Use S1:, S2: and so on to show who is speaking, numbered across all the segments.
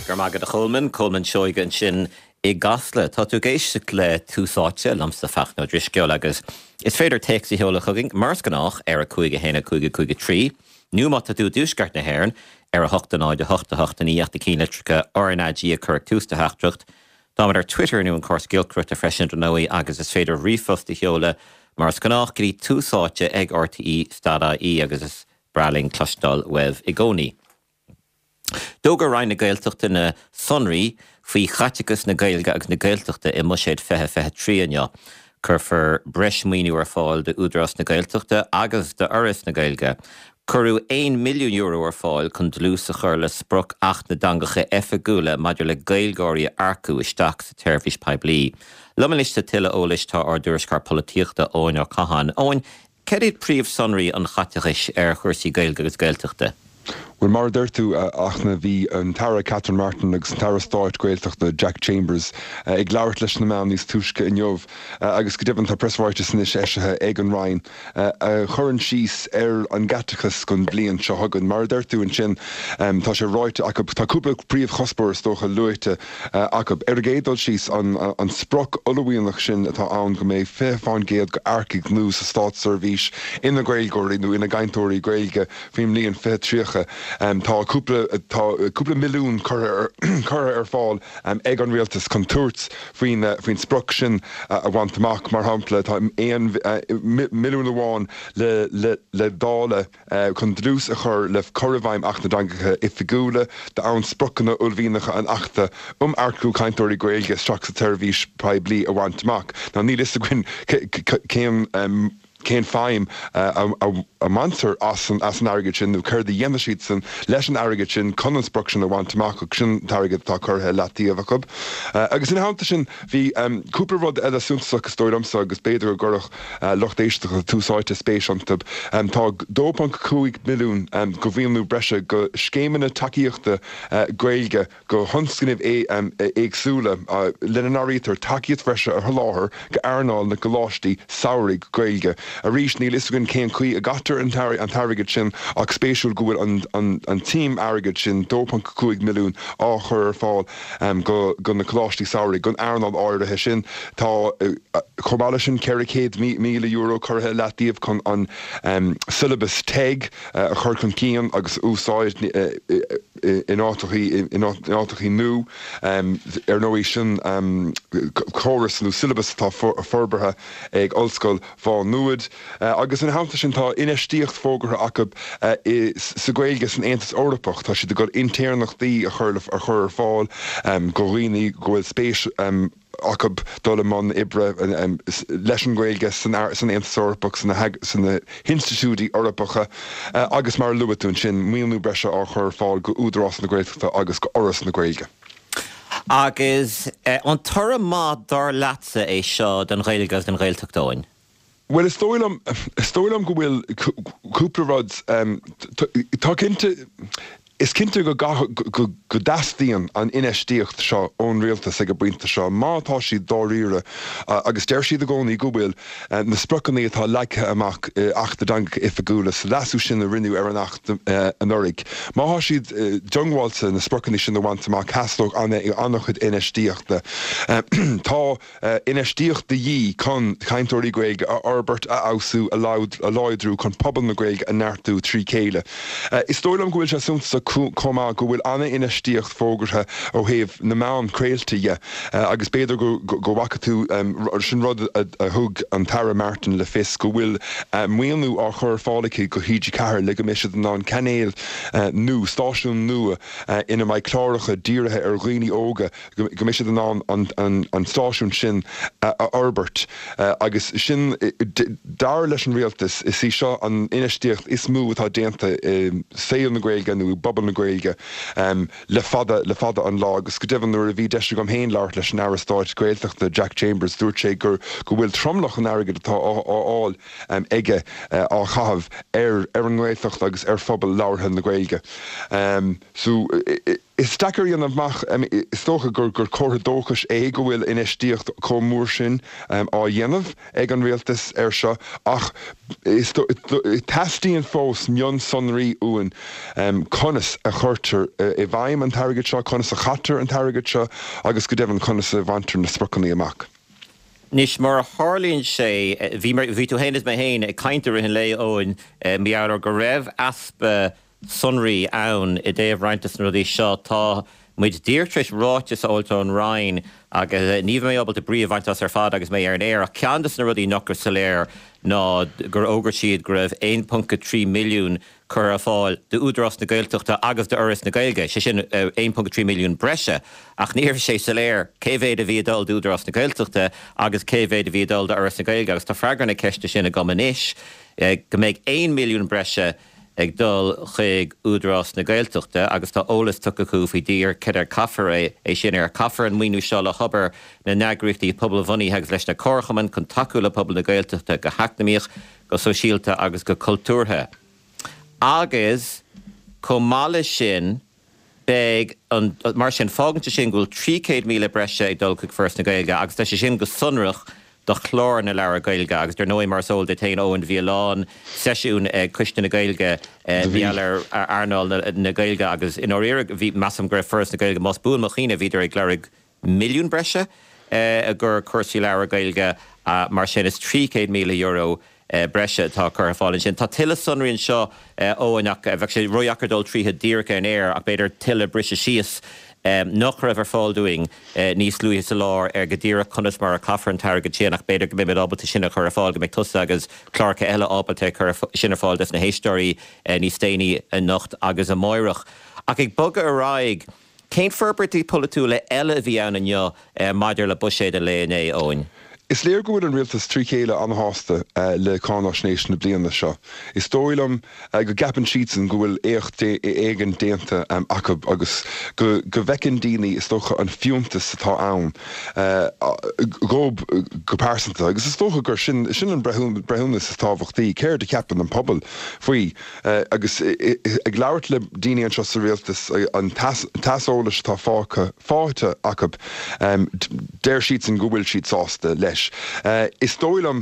S1: Go raibh maith agat a Cholmáin, Colmán Seoige ansin i gCasla. Tá tú ag éisteacht le Tús Áite, liomsa Fachtna Ó Drisceoil agus is féidir téacs a sheoladh chugainn mar is gnách ar 5 1 5 5 3 nó má tá tú i dtuaisceart na hÉireann ar 8 0 8 8 9 ach na cinnlitreacha RnaG a chur ag tús do theachtaireacht. Táimid ar Twitter nó an córas giolcaireachta freisin dar ndóigh agus is féidir ríomhphost a sheoladh mar is gnách go dtí tús áite ag rte stad ie agus is breá linn cloisteáil uaibh i gcónaí. D'fhógair Roinn na Gaeltachta na sonraí faoi chaiteachas na Gaeilge agus na Gaeltachta i mBuiséad 2023 inniu. Cuirfear breis maoiniú ar fáil d'Údarás na Gaeltachta agus d'Fhoras na Gaeilge. Cuireadh €1 milliún ar fáil chun dlús a chur le sprioc Acht na dTeangacha Oifigiúla maidir le Gaeilgeoirí a earcú isteach sa tseirbhís poiblí. Liom anois le tuilleadh eolais tá ár dtuairisceoir polaitíochta Eoin Ó Catháin. Eoin, céard iad príomhshonraí an chaiteachais ar chúrsaí Gaeilge agus Gaeltachta?
S2: Bhuel, mar a deir tú, a Fhachtna, bhí an tAire Catherine Martin agus an tAire Stáit Gaeltachta Jack Chambers ag labhairt leis na meáin níos túisce inniu agus go deimhin tá preasráiteas anois eisithe ag an Roinn a chuireann síos ar an gcaiteachas don bhliain seo chugainn. Mar a deir tú ansin, tá sé ráite acu, tá cúpla príomhchuspóir is dócha luaite acu. Ar an gcéad dul síos, an sprioc uaillmhianach sin atá ann go mbeidh 20% d'earcaigh nua sa státseirbhís ina nGaeilgeoirí nó ina gcainteoirí Gaeilge faoin mbliain 2030. Tá cúpla, tá cúpla milliún curtha curtha ar fáil ag an rialtas chun tabhairt faoin faoin sprioc sin a bhaint amach. Mar shampla, tá 1 milliún amháin le le le dáileadh chun dlús a chur le cur i bhfeidhm Acht na dTeangacha Oifigiúla d'fhonn spriocanna uaillmhianacha an Achta um Earcú Cainteoirí Gaeilge isteach sa tseirbhís poiblí a bhaint amach. Now níl fhios againn cén cén feidhm a mbaintear as an airgead sin nó céard a dhéanfaidh siadsan leis an airgead sin chun an sprioc sin a bhaint amach ach sin an t-airgead atá curtha i leataobh acu. Agus ina theannta sin bhí cúpla rud eile suntasach is dóigh liomsa agus b'fhéidir go gcuirfeadh lucht éisteachta Tús Áite spéis iontu. Tá 2.5 milliún de mhaoiniú breise go scéimeanna tacaíochta Gaeilge go thionscnaimh éagsúla, lena n-áirítear tacaíocht bhreise a sholáthar d'earnáil na gcoláistí samhraidh Gaeilge. Arís, níl fhios againn cén chaoi a gcaitear an t-airgead sin ach spéisiúil go bhfuil an tsuim airgid sin, 2.5 milliún, á chur ar fáil go na coláistí samhraidh, don earnáil áirithe sin. Tá, chomh maith leis sin, €400,000 curtha i leataobh chun an siollabas TEG a chur chun cinn agus a úsáid in áiteachaí nua. Ar ndóigh, sin córas nó siollabas atá forbartha ag Ollscoil Mhá Nuad. Agus ina theannta sin, tá infheistíocht fógartha acu sa Ghaeilge san Aontas Eorpach. Tá siad ag dul intéirneachtaí a chur ar fáil do dhaoine go bhfuil spéis acu dul i mbun oibre leis an nGaeilge san Aontas Eorpach, sna hinstitiúidí Eorpacha agus mar a luaigh tú ansin, maoiniú breise á chur ar fáil go Údarás na Gaeltachta agus go Fhoras na Gaeilge.
S1: Agus an toradh maith dar leatsa é seo don Ghaeilge agus don Ghaeltacht, Eoin?
S2: Bhuel, is dóigh liom, is dóigh liom go bhfuil cúpla rud, tá cinnte, is cinnte go go dteastaíonn an infheistíocht seo ón rialtas ag an bpointe seo, má tá siad dáiríre, agus deir siad i gcónaí go bhfuil, na spriocanna atá leagtha amach i Acht na dTeangacha Oifigiúla, sa leasú sin a rinneadh ar an Acht anuraidh. Má tá siad diongbháilte na spriocanna sin a bhaint amach, theastódh an-chuid infheistíochta. Tá. Infheistíocht de dhíth chun cainteoirí Gaeilge a fhorbairt, a fheabhsú, a láidriú chun pobal na Gaeilge a neartú trí chéile. Is dóigh liom go bhfuil sé suntasach chomh maith go bhfuil an-infheistíocht fógartha ó thaobh na meán craolta dhe agus b'fhéidir go bhfaca tú, sin rud a thug an tAire Martin le fios, go bhfuil maoiniú á chur ar fáil aici go TG4 le go mbeidh siad in ann cainéal nua, stáisiún nua ina mbeidh cláracha dírithe ar dhaoine óga go mbeidh siad in ann an stáisiún sin a fhorbairt agus sin, dar leis an rialtas, is í seo an infheistíocht is mó atá déanta i saol na Gaeilge nó i bpobal na Gaeilge le fada, le fada an lá. Agus go deimhin, nuair a bhí deis agam féin labhairt leis an Aire Stáit Gaeltachta, Jack Chambers, dúirt sé go go bhfuil tromlach an airgid atá á fháil aige á chaitheamh ar ar an nGaeltacht agus ar phobal labhartha na Gaeilge. So. Is deacair a dhéanamh amach, is dócha gur comhartha dóchais é go bhfuil infheistíocht chomh mór sin á dhéanamh ag an rialtas air seo ach teastaíonn fós mionsonraí uainn conas a chuirtear i bhfeidhm an t-airgead seo, conas a chaitear an t-airgead seo agus go deimhin conas a bhaintear na spriocanna amach.
S1: Anois, mar a tharlaíonn sé, bhí, bhí tú féin is mé féin ag caint i rith an lae, Eoin, mar gheall ar go raibh easpa sonraí ann i dtaobh roinnt de na rudaí seo. Tá muid díreach tar éis ráiteas a fháilt ón Roinn agus ní bheidh mé ábalta brí a bhaint as ar fad agus mé ar an aer ach ceann de na rudaí nach raibh soiléir ná gur fhógair siad go raibh 1.3 milliún curtha ar fáil d'Údarás na Gaeltachta agus d'Fhoras na Gaeilge, sé sin 1.3 milliún breise ach ní raibh sé soiléir cé mhéad a bhí ag dul d'Údarás na Gaeltachta agus cé mhéad a bhí ag dul d'Fhoras na Gaeilge agus tá freagra na ceiste sin agam anois go mbeidh 1 milliún breise ag dul chuig Údarás na Gaeltachta agus tá eolas tugtha acu faoi díreach cad air caithfear é sin air. Caithfear an maoiniú seo le hobair na n-eagraíochtaí pobalbhunaithe agus leis na comharchumainn chun tacú le pobal na Gaeltachta go heacnamaíoch, go sóisialta agus go cultúrtha. Agus chomh maith leis sin, Beidh an, mar sin, fágann sé sin go bhfuil 300,000 breise ag dul chuig Foras na Gaeilge agus tá sé sin go sonrach do chlár na leabhar Gaeilge agus dar ndóigh mar is eol duit féin Eoin bhí a lán seisiún ag Coiste na Gaeilge mar gheall ar earnáil na Gaeilge agus i ndáiríre bhí, measaim go raibh Foras na Gaeilge, más buan mo chuimhne, bhíodar ag lorg milliún breise i gcomhair cúrsaí leabhar Gaeilge mar sin is €300,000 breise atá curtha ar fáil ansin. Tá tuilleadh sonraí anseo Eoin ach bheadh sé ródheacair dul tríothu díreach ar an aer ach b'fhéidir tuilleadh briseadh síos nach raibh ar fáil dúinn níos luaithe sa lá ar go díreach conas mar a caithfear an t-airgead sin ach b'fhéidir go mbeimid ábalta sin a chur ar fáil, go mbeidh tusa agus cláracha eile ábalta cur sin ar fáil dos na héisteoirí níos déanaí anocht agus amáireach. Ach ag bogadh ar aghaidh, Cén forbairtí polaitiúla eile a bhí ann inniu maidir le buiséad an lae inné, Eoin?
S2: Is léir go bhfuil an rialtas trí chéile an-shásta le cáináisnéis na bliana seo. Is dóigh liom go gceapann siadsan go bhfuil éacht éigin déanta acu agus go bhfeiceann daoine, is dócha, an fiúntas atá ann dhóibh go pearsanta. Agus is dócha gur sin an breithiúnas is tábhachtaí, céard a cheapann an pobal faoi? Agus ag labhairt le daoine anseo sa rialtas, an t-aiseolas atá faighte acu, deir siadsan go bhfuil siad sásta leis. Is dóigh liom,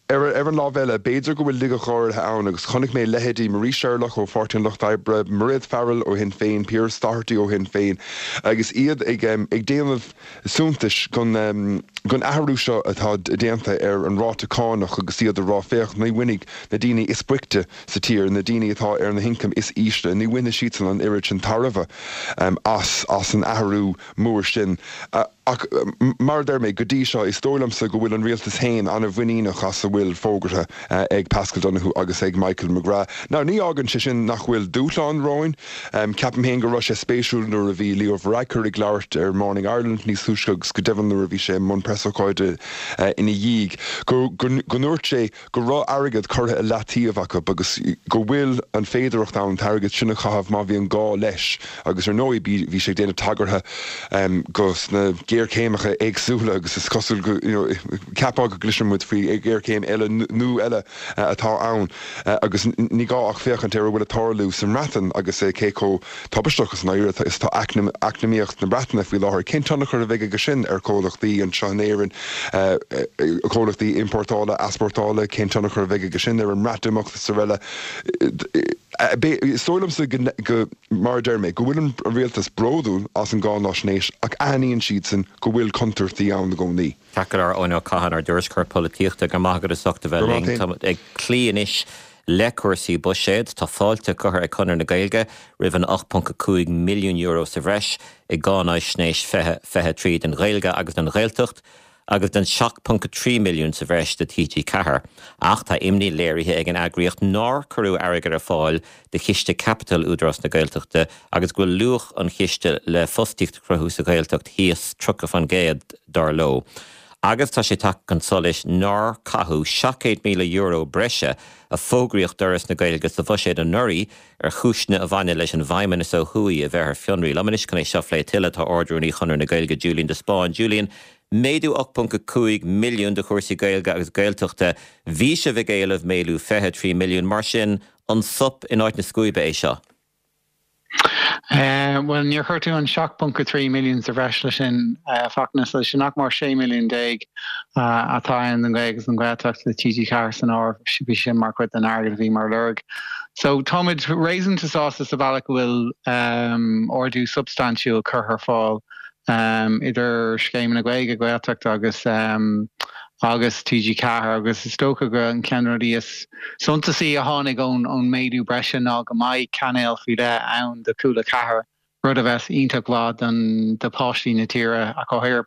S2: ar an lámh eile, b'fhéidir go bhfuil laigeacht áirithe ann agus chonaic mé leithéidí Marie Sherlock ó Pháirtí an Lucht Oibre, Mairéad Farrell ó Shinn Féin, Pearse Doherty ó Shinn Féin agus iad ag déanamh suntais den athrú seo atá déanta ar an ráta cánach agus iad ag rá féach, ní bhainfidh na daoine is boichte sa tír, na daoine atá ar na hioncaim is ísle, ní bhainfidh siadsan an oiread sin tairbhe as as an athrú mór sin. Ach mar a deir mé, go dtí seo, is dóigh liomsa go bhfuil an rialtas féin an-mhuiníneach as a bhfuil fógartha ag Paschal Donohoe agus ag Michael McGrath. Now, ní fhágann sé sin nach bhfuil dúshláin romhainn. Ceapaim féin go raibh sé spéisiúil nuair a bhí Leo Varadkar ag labhairt ar Morning Ireland níos túisce agus go deimhin nuair a bhí sé i mbun preasócáide ina dhiaidh, go ndúirt sé go raibh airgead curtha i leataobh acu agus go bhfuil an féidearthacht ann an t-airgead sin a chaitheamh má bhíonn gá leis agus ar ndóigh bhí sé ag déanamh tagartha go sna géarchéimeacha éagsúla agus is cosúil go, you know, cheapfá go gcloiseann muid faoi ghéarchéim eile nó eile atá ann agus ní gá ach féachaint ar a bhfuil ag tarlú sa mBreatain agus cé chomh tubaisteach is is atá eacnamaíocht na Breataine faoi láthair. Cén tionchar a bheidh aige sin ar chomhlachtaí anseo in Éirinn, comhlachtaí iompórtála, easpórtála, cén tionchar a bheidh aige sin ar an mBreatimeacht is araile. Is dóigh liomsa go, mar a deir mé, go bhfuil an rialtas bródúil as an gcáináisnéis ach aithníonn siadsan go bhfuil contúirtí ann i gcónaí.
S1: Ceart go leor, Eoin Ó Catháin, ár dtuairisceoir polaitíochta, go raibh maith agat as ucht a bheith linn. Táimid ag cloí anois le cúrsaí buiséid. Tá fáilte curtha ag Conradh na Gaeilge roimh an €8.5 milliún sa bhreis i gCáináisnéis 2023 don Ghaeilge agus don Ghaeltacht agus don 7.3 milliún sa bhreis do TG4. Ach tá imní léirithe ag an eagraíocht nár cuireadh airgead ar fáil do chiste caipitil Údarás na Gaeltachta agus go bhfuil luach an chiste le fostaíocht a chruthú sa Ghaeltacht thíos 30%, dar leo. Agus tá sé tagtha chun solais nár caitheadh €700,000 breise a fógraíodh d'Fhoras na Gaeilge sa bhuiséad anuraidh ar chúiseanna a bhaineann leis an bhFeidhmeannas ó thuaidh a bheith ar fionraí. Liom anois chun é seo a phlé tuilleadh tá Ard-Rúnaí Chonradh na Gaeilge Julian de Spáinn. Julian, méadú 8.5 milliún do chúrsaí Gaeilge agus Gaeltachta. Bhí sibh ag éileamh méadú 23 milliún, mar sin An sop in áit na scuaibe é seo?
S3: Bhuel, níor chuir tú an 7.3 milliún sa bhreis leis sin, a Fachtna, so sin nach mór 16 milliún atá ann don Ghaeilge agus don Ghaeltacht le TG4 san áireamh. Bhí sin mar chuid den airgead a bhí mar lorg. So táimid réasúnta sásta sa bhealach go bhfuil ardú substaintiúil curtha ar fáil idir scéimeanna Gaeilge, Gaeltacht agus agus TG4 agus is dócha go an ceann de na rudaí is suntasaí a tháinig ón ón méadú breise ná go mbeidh cainéal faoi leith ann do Cúla 4, rud a bheas iontach mhaith don do pháistí na tíre ach go háirithe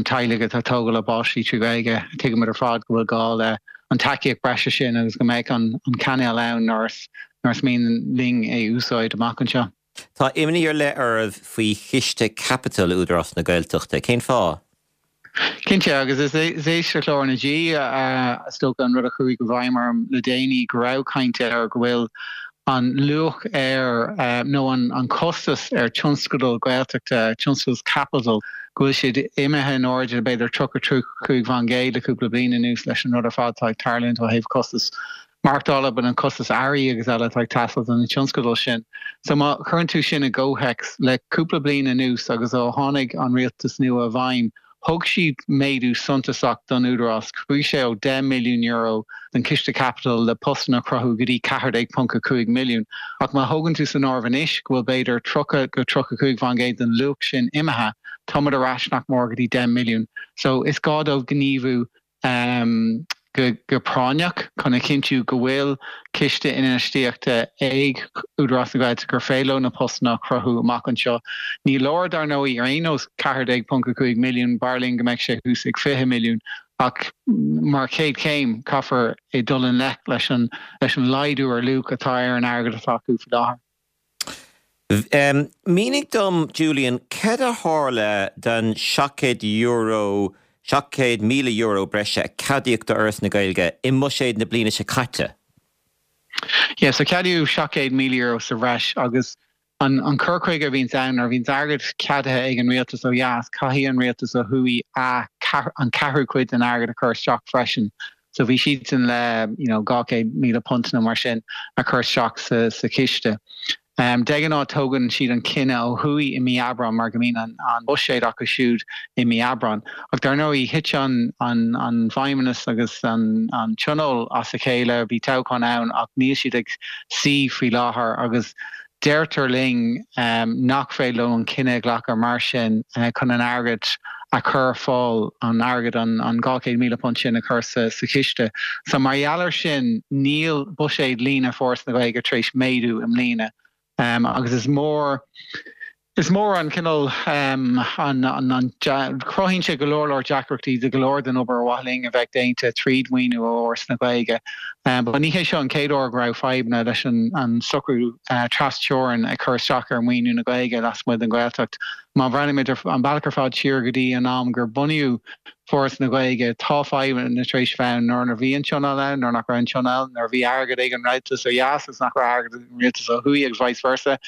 S3: teaghlaigh atá ag tógáil a bpáistí trí Ghaeilge. Tuigimid ar fad go bhfuil gá le an tacaíocht breise sin agus go mbeidh an an cainéal ann nuair is nuair is mian linn é úsáid amach anseo.
S1: Tá imní ar leith oraibh faoi chiste caipitil Údarás na Gaeltachta. Cén fáth?
S3: Cinnte, agus is éisteacht le RnaG is dócha an rud a chuaigh i bhfeidhm orm le déanaí, go raibh caint air go bhfuil an luach ar, nó an costas ar tionscadal Gaeltachta, tionscadal caipitil, go bhfuil siad imithe in airde b'fhéidir 30, 35% le cúpla bliain anuas leis an rud ar fad atá ag tarlúint ó thaobh costas maireachtála, but an costas earraí agus eile atá ag teastáil do na tionscadail sin. So má chuireann tú sin i gcomhthéacs le cúpla bliain anuas agus ó tháinig an rialtas nua i bhfeidhm, thug siad méadú suntasach don Údarás, chuaigh sé ó €10 milliún don chiste caipitil le postanna a chruthú go dtí 14.5 milliún. Ach má thógann tú san áireamh anois go bhfuil b'fhéidir 30-35% den luach sin imithe, táimid ar ais nach mór go dtí 10 milliún. So is gá dóibh gníomhú go práinneach chun a chinntiú go bhfuil ciste infheistíochta ag Údarás na Gaeltachta gur féidir leo na postanna a chruthú amach anseo. Ní leor, dar ndóigh, ar aon nós 14.5 milliún, b'fhearr linn go mbeadh sé thuas ag 20 milliún ach mar chéad chéim caithfear dul i ngleic leis an laghdú ar luach atá ar an airgead atá acu faoi láthair.
S1: Mínigh dom, Julian, cad a tharla don €700, €700,000 breise a ceadaíodh do Fhoras na Gaeilge i mbuiséad na bliana seo caite?
S3: Yeah, so ceadaíodh €700,000 sa bhreis agus an cur chuige a bhíonns ann, nuair a bhíonns airgead ceadaithe ag an rialtas ó dheas, caithfidh an rialtas ó thuaidh an ceathrú cuid den airgead a chur isteach freisin. So bhí siadsan le you know £200,000 nó mar sin a chur isteach sa sa chiste. De ghnáth tógann siad an cinneadh ó thuaidh i mí Aibreán mar go mbíonn an an buiséad acu siúd i mí Aibreán. Ach dar ndóigh thit an an an feidhmeannas agus an an tionól as a chéile, bhí toghchán ann ach níl siad ag suí faoi láthair agus Deirtear linn nach féidir leo an cinneadh a ghlacadh mar sin chun an airgead a chur ar fáil, an airgead, an £200,000 sin a chur sa chiste. So mar gheall air sin níl buiséad líne Foras na Gaeilge tar éis méadú i mbliana agus is mór, is mór an cineál, an, an, cruthaíonn sé go leor leor deacrachtaí do go leor den obair ar mhaith linn a bheith déanta tríd maoiniú ó Fhoras na Gaeilge. Ba ní hé seo an chéad uair go raibh fadhbanna leis an socrú tras-teorann ag cur isteach ar mhaoiniú na Gaeilge lasmuigh den Ghaeltacht. Má bhreathnaímid ar an bealach ar fad siar go dtí an am gur bunaíodh Foras na Gaeilge, tá fadhbanna tar éis bheith ann nuair a bhí an Tionól ann, nuair nach raibh an Tionól, nuair a bhí airgead ag an rialtas ó dheas agus nach raibh airgead ag an rialtas ó thuaidh agus vice versa.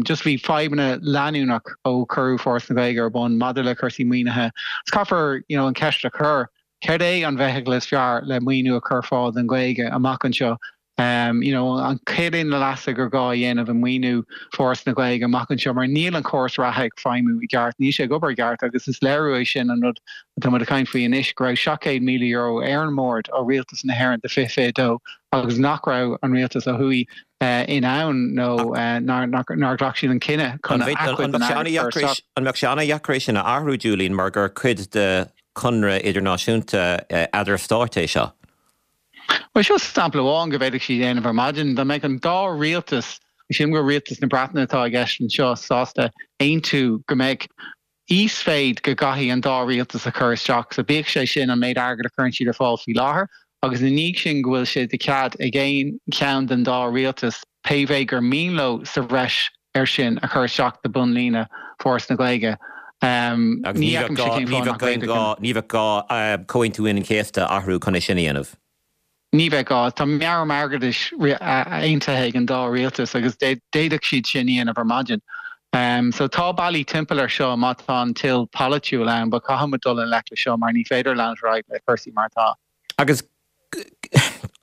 S3: Just bhí fadhbanna leanúnach ó cuireadh Foras na Gaeilge ar bun maidir le cúrsaí maoinithe. Is caithfear you know an ceist a chur, céard é an bhfeithicil is fearr le maoiniú a chur ar fáil don Ghaeilge amach anseo? You know, an céard é na leasuithe gur gá a dhéanamh i maoiniú Foras na Gaeilge amach anseo mar níl an córas reatha ag feidhmiú i gceart, níl sé ag obair i gceart agus is léiriú é sin an rud atá muid ag caint faoi anois go raibh €700,000 ar an mbord ó Rialtas na hÉireann do 2022 agus nach raibh an rialtas ó thuaidh in ann nó nár ghlac siad an cinneadh chun a chuid den airgead a chur isteach.
S1: An mbeadh sé an-dheacair é sin a athrú, Julian, mar gur cuid de chonradh idirnáisiúnta eadar-stáit é seo?
S3: Bhuel, seo sampla amháin go bhféadfadh siad a dhéanamh ar maidin. Dá mbeadh an dá rialtas, sílim gur rialtas na Breataine atá i gceist anseo, sásta aontú go mbeadh íosmhéid go gcaithfidh an dá rialtas a chur isteach, so bíodh sé sin an méid airgid a chuireann siad ar fáil faoi láthair agus ina dhiaidh sin go bhfuil sé de chead ag aon cheann den dá rialtas pé mhéid gur mian leo sa bhreis air sin a chur isteach do bhunlíne Foras na Gaeilge.
S1: Agus ní bheadh gá, ní bheadh aon gá, ní bheadh gá Comhaontú Aoine an Chéasta a athrú chun é sin a dhéanamh.
S3: Ní bheadh gá. Tá meabhram airgeadais aontaithe ag an dá rialtas agus d'fhéadfadh siad sin a dhéanamh ar maidin. So tá bealaí timpeall air seo má tá an toil polaitiúil ann, but caithfidh muid dul i ngleic le seo mar ní féidir leanúint ar aghaidh le cúrsaí mar atá.
S1: Agus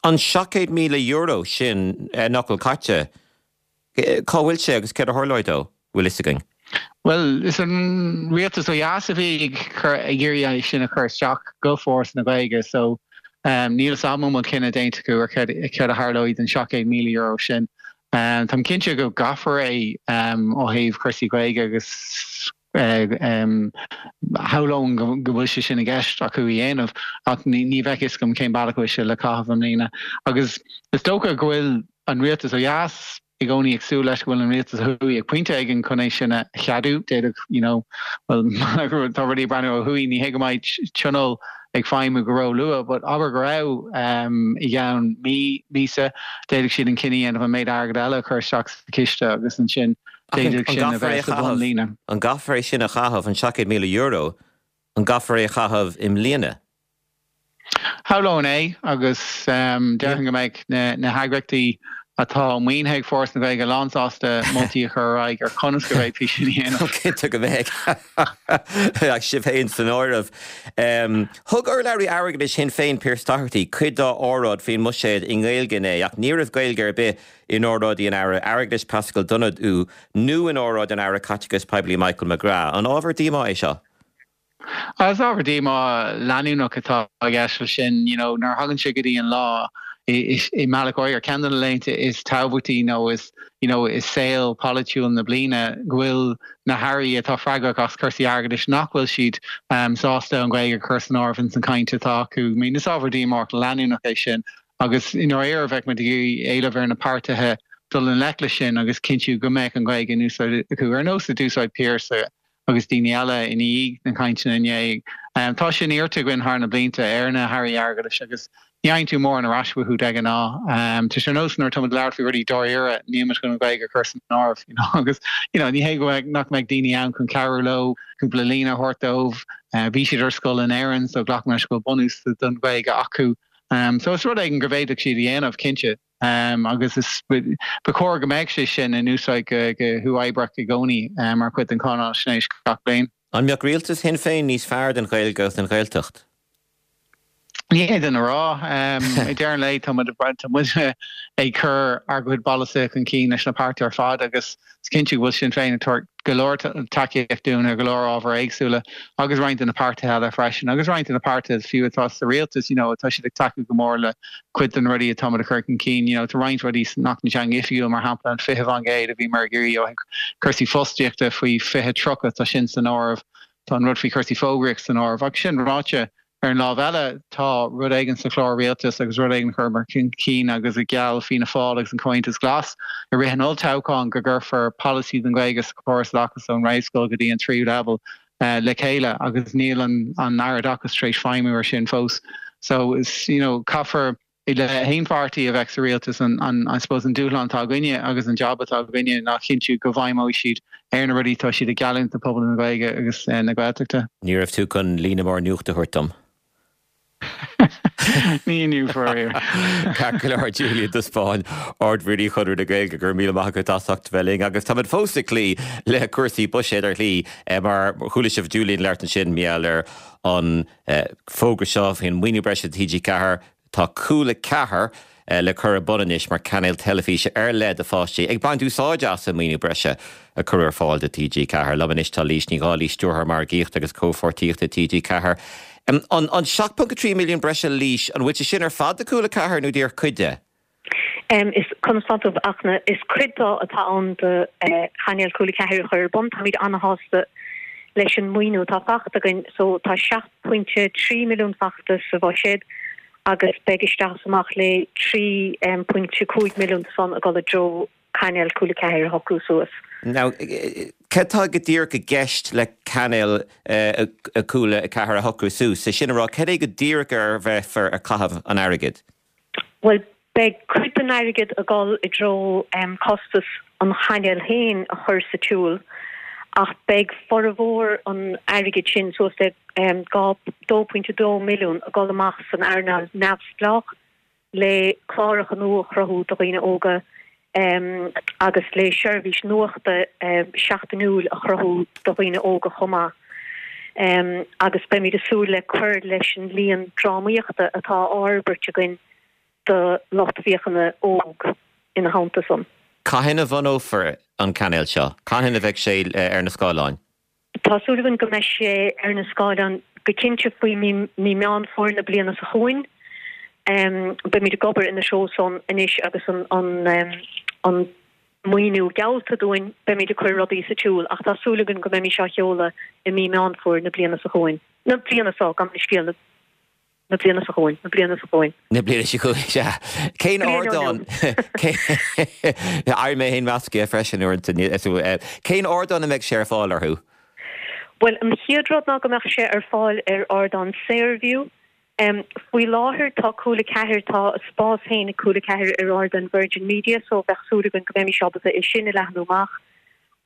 S1: an €700,000 sin nach bhfuil caite? Cá bhfuil sé agus céard a tharlóidh dó, bhfuil fhios againn?
S3: Bhuel, is an rialtas ó dheas a bhí ag cur, ag iarraidh é sin a chur isteach go Foras na Gaeilge so níl fhios agam an bhfuil cinneadh déanta acu ar céard a tharlóidh don €700,000 sin. Táim cinnte go gcaithfear é ó thaobh cúrsaí Gaeilge agus shamhlóinn go bhfuil sé sin i gceist acu a dhéanamh ach ní bheadh fhios agam cén bealach a bhfuil sé le caitheamh i mbliana. Agus is dócha go bhfuil an rialtas ó dheas i gcónaí ag súil leis go bhfuil an rialtas ó thuaidh ag pointe éigin chun é sin a cheadú. D'fhéadfadh, you know, bhuel, tá rudaí ag breathnú ó thuaidh, ní hé go mbeidh tionól ag feidhmiú go ró-luath, but abair go raibh i gceann mí, míosa, d'fhéadfadh siad an cinneadh a dhéanamh an méid airgid eile a chur isteach sa chiste agus ansin d'fhéadfadh sin a bheith sa bhunlíne.
S1: An gcaithfear é sin a chaitheamh, an €700,000, an gcaithfear é a chaitheamh i mbliana?
S3: Shamhlóinn é agus déarfainn go mbeidh na heagraíochtaí atá maoinithe ag Foras na Gaeilge lánsásta moltaí a chur ar aghaidh ar conas go bhféadfaí sin a dhéanamh.
S1: Cinnte go mbeidh. Ach sibh féin san áireamh. Thug urlabhraí airgeadais Shinn Féin, Pearse Doherty, cuid dá óráid faoin mbuiséad i nGaeilge inné ach ní raibh Gaeilge ar bith in óráidí an Aire Airgeadais Paschal Donohoe nó in óráid an Aire Caiteachais Poiblí Michael McGrath. An ábhar díomá é seo?
S3: Is ábhar díomá leanúnach atá i gceist leis sin, you know, nuair a thagann sé go dtí an lá i mbealach áirithe, ceann de na laethanta is tábhachtaí nó is, you know, i saol polaitiúil na bliana, go bhfuil na hairí atá freagrach as cúrsaí airgeadais nach bhfuil siad sásta an Ghaeilge a chur san áireamh ins an chaint atá acu. I mean, is ábhar díomách leanúnach é sin agus i ndáiríre bheadh muid ag iarraidh éileamh ar na páirtithe dul i ngleic leis sin agus cinntiú go mbeadh an Ghaeilge in úsáid acu, ar nós a d'úsáid Pearse agus daoine eile i ndiaidh na cainteanna inné. Tá sin iarrta againn thar na blianta ar na hairí airgeadais agus ní fhaigheann tú mórán ar ais uathu de ghnáth. Tá sé ar nós nuair atá muid ag labhairt faoi rudaí dáiríre, níl muid chun an Ghaeilge a chur san áireamh, you know, agus you know, ní hé go mbeadh, nach mbeadh daoine ann chun cabhrú leo, cúpla líne a thabhairt dóibh. Bhí siad ar scoil in Éirinn so glacaim leis go bhfuil bunús don Ghaeilge acu. So is rud éigin go bhféadfadh siad a dhéanamh, cinnte. Agus is ba chóir go mbeadh sé sin in úsáid go huathoibríoch i gcónaí mar chuid den cháinaisnéis gach bliain.
S1: An mbeadh rialtas Shinn Féin níos fearr don Ghaeilge agus don Ghaeltacht?
S3: Ní fhéadfainn a rá. I deireadh an lae tá muid tá muid ag cur ár gcuid polasaithe chun cinn leis na páirtithe ar fad agus Is cinnte go bhfuil Sinn Féin ag tabhairt go leor tacaíocht dúinn ar go leor ábhair éagsúla agus roinnt de na páirtithe eile freisin agus roinnt de na páirtithe fiú atá sa rialtas, you know, tá siad ag tacú go mór le cuid de na rudaí atá muid a chur chun cinn. You know, tá roinnt rudaí san Acht na Teanga Oifigiúil, mar shampla an 20% a bhíomar ag iarraidh ó thaobh cúrsaí fostaíochta faoi 2030, tá sin san áireamh. Tá an rud faoi chúrsaí fógraíochta san áireamh. Ach sin ráite, Ar an lámh eile, tá rud éigin sa chlár rialtais agus rud éigin a chuireamar chun cinn agus a gheall Fianna Fáil agus an Comhaontas Glas i rith an olltoghcháin go gcuirfear polasaí don Ghaeilge sa chóras oideachais ón réamhscoil go dtí an tríú leibhéal le chéile agus níl an Aire Oideachais tar éis feidhmiú ar sin fós. So, is, you know, caithfear le haon pháirtí a bheadh sa rialtas, an, I suppose, an dúshlán atá againne agus an jab atá againne ná cinntiú go bhfeidhmeoidh siad ar na rudaí atá siad ag geallúint do phobal na Gaeilge agus na Gaeltachta.
S1: Ní raibh tú chun líne mór nuachta a thabhairt dom.
S3: Ní inniu, faraor.
S1: Ceart go leor, Julian de Spáinn, Ard-Rúnaí Chonradh na Gaeilge, go raibh míle maith agat as ucht bheith linn. Agus táimid fós ag cloí le cúrsaí buiséid ar shlí, mar chuala sibh Julian ag labhairt ansin, mar gheall ar an fógra seo faoin maoiniú breise do TG4, Tá Cúla 4 le cur ar bun anois mar chainéal teilifíse ar leith do pháistí, ag baint úsáide as an maoiniú breise a cuireadh ar fáil do TG4. Liom anois tá Laoise Ní Dhálaigh, Stiúrthóir Margaíochta agus Comhpháirtíochta TG4. An 7.3 milliún breise, Laoise, an bhfuil sé sin ar fad do Cúla 4 nó díreach cuid de?
S4: Is conas tá tú, a Fhachtna? Is cuid de atá ann do chainéal Cúla 4 a chur ar bun. Táimid an-shásta leis an maoiniú atá fachta againn. So tá 7.3 milliún fachta sa bhuiséad agus beidh isteach is amach le 3.5 milliún san ag dul i dtreo cainéal Cúla 4 a shocrú suas.
S1: Now, cad tá go díreach i gceist le cainéal Cúla 4 a shocrú suas? Sé sin a rá, cad é go díreach ar a bheifear ag caitheamh an airgid?
S4: Bhuel, beidh cuid den airgead ag dul i dtreo costas an chainéil féin a chur sa tsiúl ach beidh formhór an airgid sin, suas le 2.2 milliún, ag dul amach san earnáil neamhspleách le cláracha nua a chruthú do dhaoine óga agus le seirbhís nuachta seachtainiúil a chruthú do dhaoine óga chomh maith. Agus beimid ag súil le cur leis an líon drámaíochta atá á fhorbairt againn do lucht féachana óg ina theannta san.
S1: Cathain a bhunófar an cainéal seo? Cathain a bheidh sé ar na scáileáin?
S4: Tá súil againn go mbeidh sé ar na scáileáin go cinnte faoi mí Meán Fómhair na bliana seo chugainn. Beimid ag obair ina threo san anois agus an maoiniú geallta dúinn, beimid ag cur rudaí sa tsiúl ach tá súil againn go mbeimis á sheoladh i mí Meán Fómhair na bliana seo chugainn. Na bliana seo, gabh mo leithscéal. Na bliana seo chugainn. Na bliana seo chugainn.
S1: Na bliana seo chugainn, sea. Cén ardán? Éirím mé féin measctha freisin uaireanta. Cén ardán a mbeidh sé ar fáil orthu?
S4: Bhuel, an chéad rud ná go mbeadh sé ar fáil ar ardán Saorview. Faoi láthair tá Cúla 4, tá a spás féin ag Cúla 4 ar ardán Virgin Media so bheadh súil againn go mbeimis ábalta é sin a leathnú amach.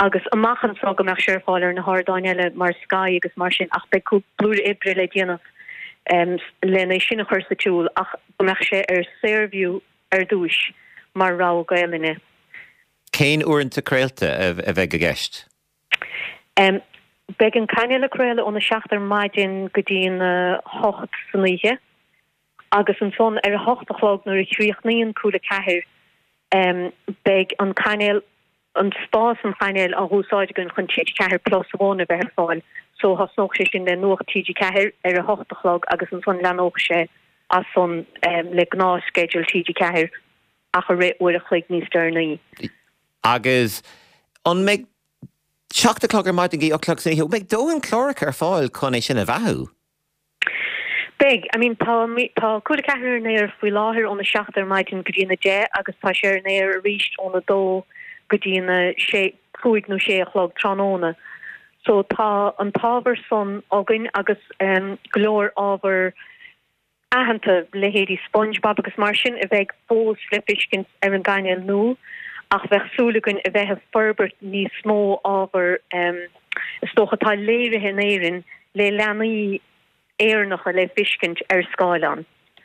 S4: agus amach anseo go mbeadh sé ar fáil ar na hardáin eile mar Sky agus mar sin ach beidh blúire oibre le déanamh lena é sin a chur sa tsiúl ach go mbeadh sé ar Saorview ar dtúis mar rogha Gaelainne.
S1: Cén uaireanta craolta a bheidh i gceist?
S4: Beidh an cainéal ag craoladh óna 7 ar maidin go dtí an 8 san oíche agus ansan ar a hocht a chlog nuair a chríochnaíonn Cúla 4 beidh an cainéal an spás an chainéil á úsáid againn chun TG4 Plus One a bheith ar fáil so thosnódh sé sin le Nuacht TG4 ar a hocht a chlog agus ansan leanódh sé as san le gnáthsceideal TG4 ach ag rith uair a chloig níos deireanaí.
S1: Agus an mbeidh 7 a chlog ar maidin go dtí 8 a chlog san oíche, an mbeidh dóthain cláracha ar fáil chun é sin a bheathú?
S4: Beidh. I mean tá tá Cúla 4 ar an aer faoi láthair óna 7 ar maidin go dtí an 10 agus tá sé ar an aer arís óna 2 go dtí an 6, 5 nó 6 a chlog tráthnóna. So tá an t-ábhar san againn agus go leor ábhar aitheanta, leithéidí SpongeBob agus mar sin, a bheidh fós le feiscint ar an gcainéal nua ach bheadh súil againn a bheith ag forbairt níos mó ábhar is dócha atá léirithe in Éirinn le leanaí Éireannacha le feiscint ar scáileán.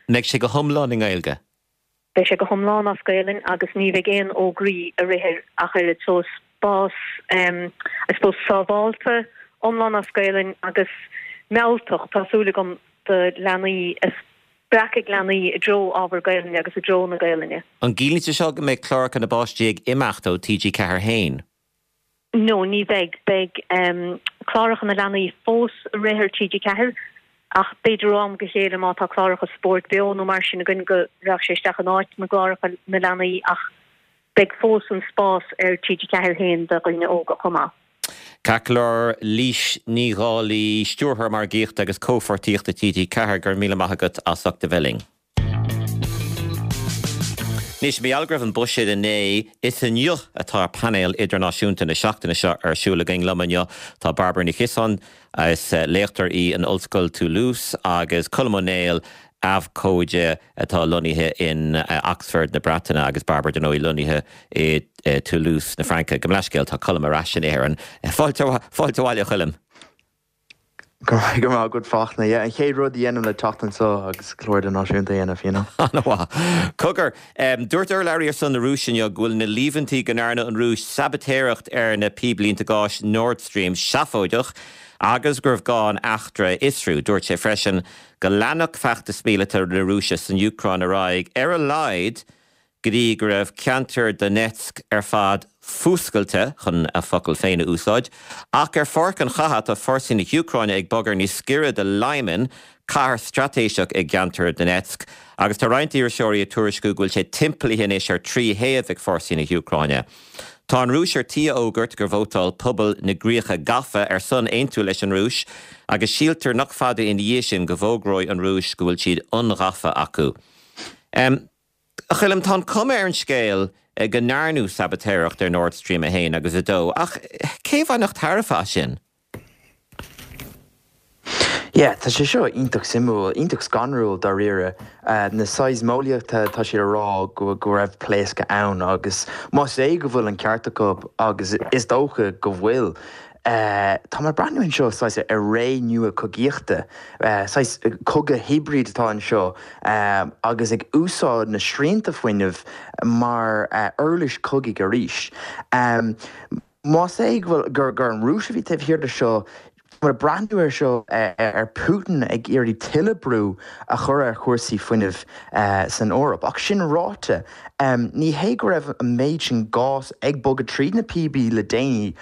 S1: Mbeidh sé go hiomlán i nGaeilge?
S4: Beidh sé go hiomlán as Gaelainn agus ní bheidh aon fhógraí ag rith air ach oiread so spás I suppose sábhálta, iomlán as Gaelainn agus mealltach, tá súil agam, do leanaí, a spreagfaidh leanaí i dtreo ábhar Gaelainne agus i dtreo na Gaelainne.
S1: An gciallaíonn sé seo go mbeidh cláracha na bpáistí ag imeacht ó TG4 féin?
S4: No, ní bheidh. Beidh cláracha na leanaí fós ag rith ar TG4 ach b'fhéidir ó am go chéile má tá cláracha spóirt beo nó mar sin againn go raghadh sé isteach in áit na gcláracha na leanaí ach beidh fós an spás ar TG4 féin do dhaoine óga chomh maith.
S1: Ceart go leor, Laoise Ní Dhálaigh, Stiúrthóir Margaíochta agus Comhpháirtíochta TG4, go raibh míle maith agat as ucht a bheith linn. Anois, mar gheall go raibh an buiséad inné, is inniu atá painéal idirnáisiúnta na seachtaine seo ar siúl againn. Liom inniu tá Bairbre Ní Chiosáin, is léachtóir í in Ollscoil Toulouse, agus Colm Ó Néill, abhcóide atá lonnaithe in Oxford na Breataine, agus Bairbre, dar ndóigh, lonnaithe i Toulouse na Fraince. Gabh mo leithscéal, tá Colm ar ais in Éirinn. Fáilte abhaile, a Choilm.
S5: Go raibh maith agat Fachtna. Yeah, an chéad rud a dhéanaim le teacht anseo agus clár idirnáisiúnta a dhéanamh, you know.
S1: An-mhaith. Cogar, dúirt urlabhraí ar son na Rúise inniu go bhfuil na líomhaintí go ndearna an Rúis sabaitéireacht ar na píblínte gáis Nord Stream seafóideach agus gurbh gá an eachtra a fhiosrú. Dúirt sé freisin go leanfadh feachtas míleata na Rúise san Úcráin ar aghaidh ar a laghad go dtí go raibh ceantar Donetsk ar fad fuascailte, chun a focail féin a úsáid. Ach ar pháirc an chatha, tá fórsaí na hÚcráine ag bogadh níos giorra do Lyman, cathair straitéiseach i gceantar Donetsk, agus tá roinnt iriseoirí ag tuairisciú go bhfuil sé timpeallaithe anois ar thrí thaobh ag fórsaí na hÚcráine. Tá an Rúis ar tí a fhógairt gur vótáil pobal na gcríocha gafa ar son aontú leis an Rúis, agus síltear nach fada ina dhiaidh sin go bhfógróidh an Rúis go bhfuil siad ionghafa acu. A Choilm, tá an cuma ar an scéal go ndearnadh sabaitéireacht ar Nord Stream 1 agus 2, ach cé a bhainfeadh tairbhe as sin?
S5: Yeah, tá sé seo iontach suimiúil, iontach scanrúil dáiríre. Na seismeolaithe, tá siad ag rá go go raibh pléascadh ann agus más é go bhfuil an ceart acu, agus is dócha go bhfuil, Tá mé ag breathnú anseo saghas ar ré nua cogaíochta, saghas cogadh hibrid atá anseo agus ag úsáid na srianta fuinnimh mar uirlis cogaidh arís. Más é go bhfuil gur an Rúis a bhí taobh thiar de seo, Tá muid ag breathnú air seo ar Putin ag iarraidh tuilleadh brú a chur ar chúrsaí fuinnimh san Eoraip. Ach sin ráite, ní hé go raibh an méid sin gás ag bogadh tríd na píobaí le déanaí.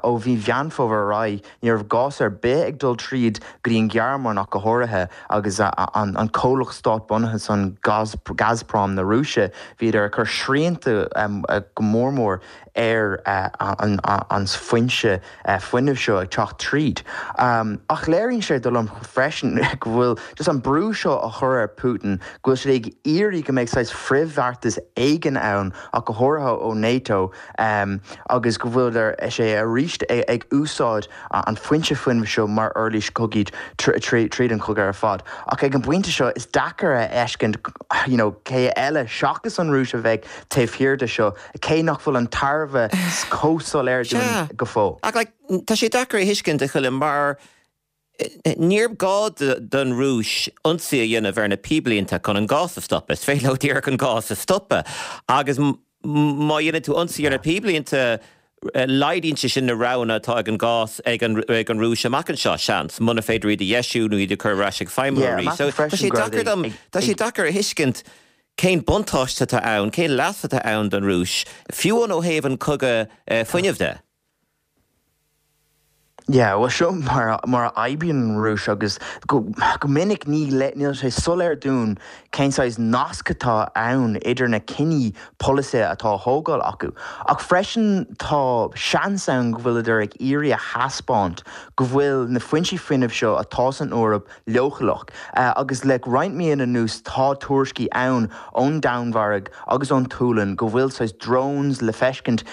S5: Ó mhí Mheán Fómhair ar aghaidh, ní raibh gás ar bith ag dul tríd go dtí an Ghearmáin ach go háirithe agus an comhlacht stát-bunaithe san, Gazprom na Rúise, bhíodar ag cur srianta go mór mór ar an foinse fuinnimh seo ag teacht tríd. Ach léiríonn sé dar liom freisin go bhfuil just an brú seo á chur ar Putin, go bhfuil siad ag iarraidh go mbeidh saghas frithbheartas éigin ann ach go háirithe ó NATO agus go bhfuil sé arís ag úsáid an foinse fuinnimh seo mar uirlis cogaidh tríd an chogadh ar fad. Ach ag an bpointe seo is deacair a fheiscint you know cé eile seachas an Rúis a bheidh taobh thiar de seo. cé nach bhfuil an tairbhe chomh soiléir dúinn go fóill.
S1: Ach like, tá sé deacair a thuiscint, a Choilm, mar níor gá don Rúis ionsaí a dhéanamh ar na píblínte chun an gás a stopadh. Is féidir leo díreach an gás a stopadh. Agus má dhéanann tú ionsaí ar na píblínte, laghdaíonn sé sin na roghanna atá ag an gás ag an Rúis amach anseo, seans, muna féidir iad a dheisiú nó iad a chur ar ais ag feidhmiú arís. So tá sé deacair dom, tá sé deacair a thuiscint Cén buntáiste atá ann, cén leas atá ann don Rúis, fiú amháin ó thaobh an cogadh fuinnimh de?
S5: Yeah, bhuel seo mar mar a oibríonn an Rúis agus go go minic ní níl sé soiléir dúinn cén saghas nasc atá ann idir na cinní polasaithe atá á thógáil acu. Ach freisin tá seans ann go bhfuileadar ag iarraidh a thaispeáint go bhfuil na foinsí fuinnimh seo atá san Eoraip leochaileach. Agus le roinnt míonna anuas tá tuairiscí ann ón Danmhairg agus ón tSualainn go bhfuil saghas drones le feiscint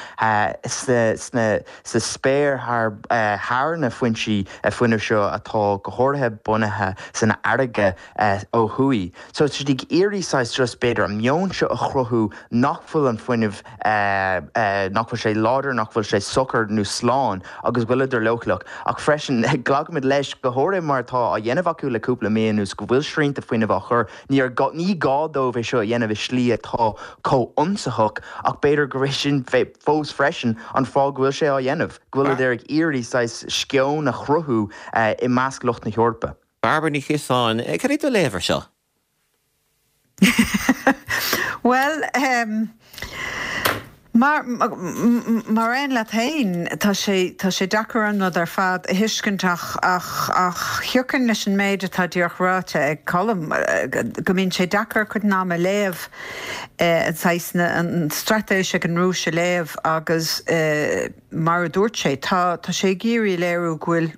S5: sna sa spéir thar thar na foinsí fuinnimh seo atá go háirithe bunaithe san fharraige ó thuaidh. So tá siad ag iarraidh saghas just b'fhéidir an meon seo a chruthú nach bhfuil an fuinneamh nach bhfuil sé láidir, nach bhfuil sé socair nó slán agus go bhfuileadar leochaileach. Ach freisin, glacaimid leis, go háirithe mar atá á dhéanamh acu le cúpla mí anuas, go bhfuil srianta fuinnimh á chur. Níor gá, ní gá dóibh é seo a dhéanamh i slí atá chomh ionsaitheach ach b'fhéidir gur é sin fós freisin an fáth go bhfuil sé á dhéanamh, go bhfuileadar ag iarraidh saghas sceon a chruthú i measc lucht na hEorpa.
S1: Bairbre Ní Chiosáin, cad é do léamh ar seo?
S6: Bhuel, mar, mar aon leat féin, tá sé, tá sé deacair an rud ar fad a thuiscint ach, ach, ach thiocfainn leis an méid atá díreach ráite ag Colm, go mbíonn sé deacair cuid den am a léamh, an saghas, an straitéis ag an Rúis a léamh agus mar a dúirt sé, tá, tá sé ag iarraidh a léiriú go bhfuil,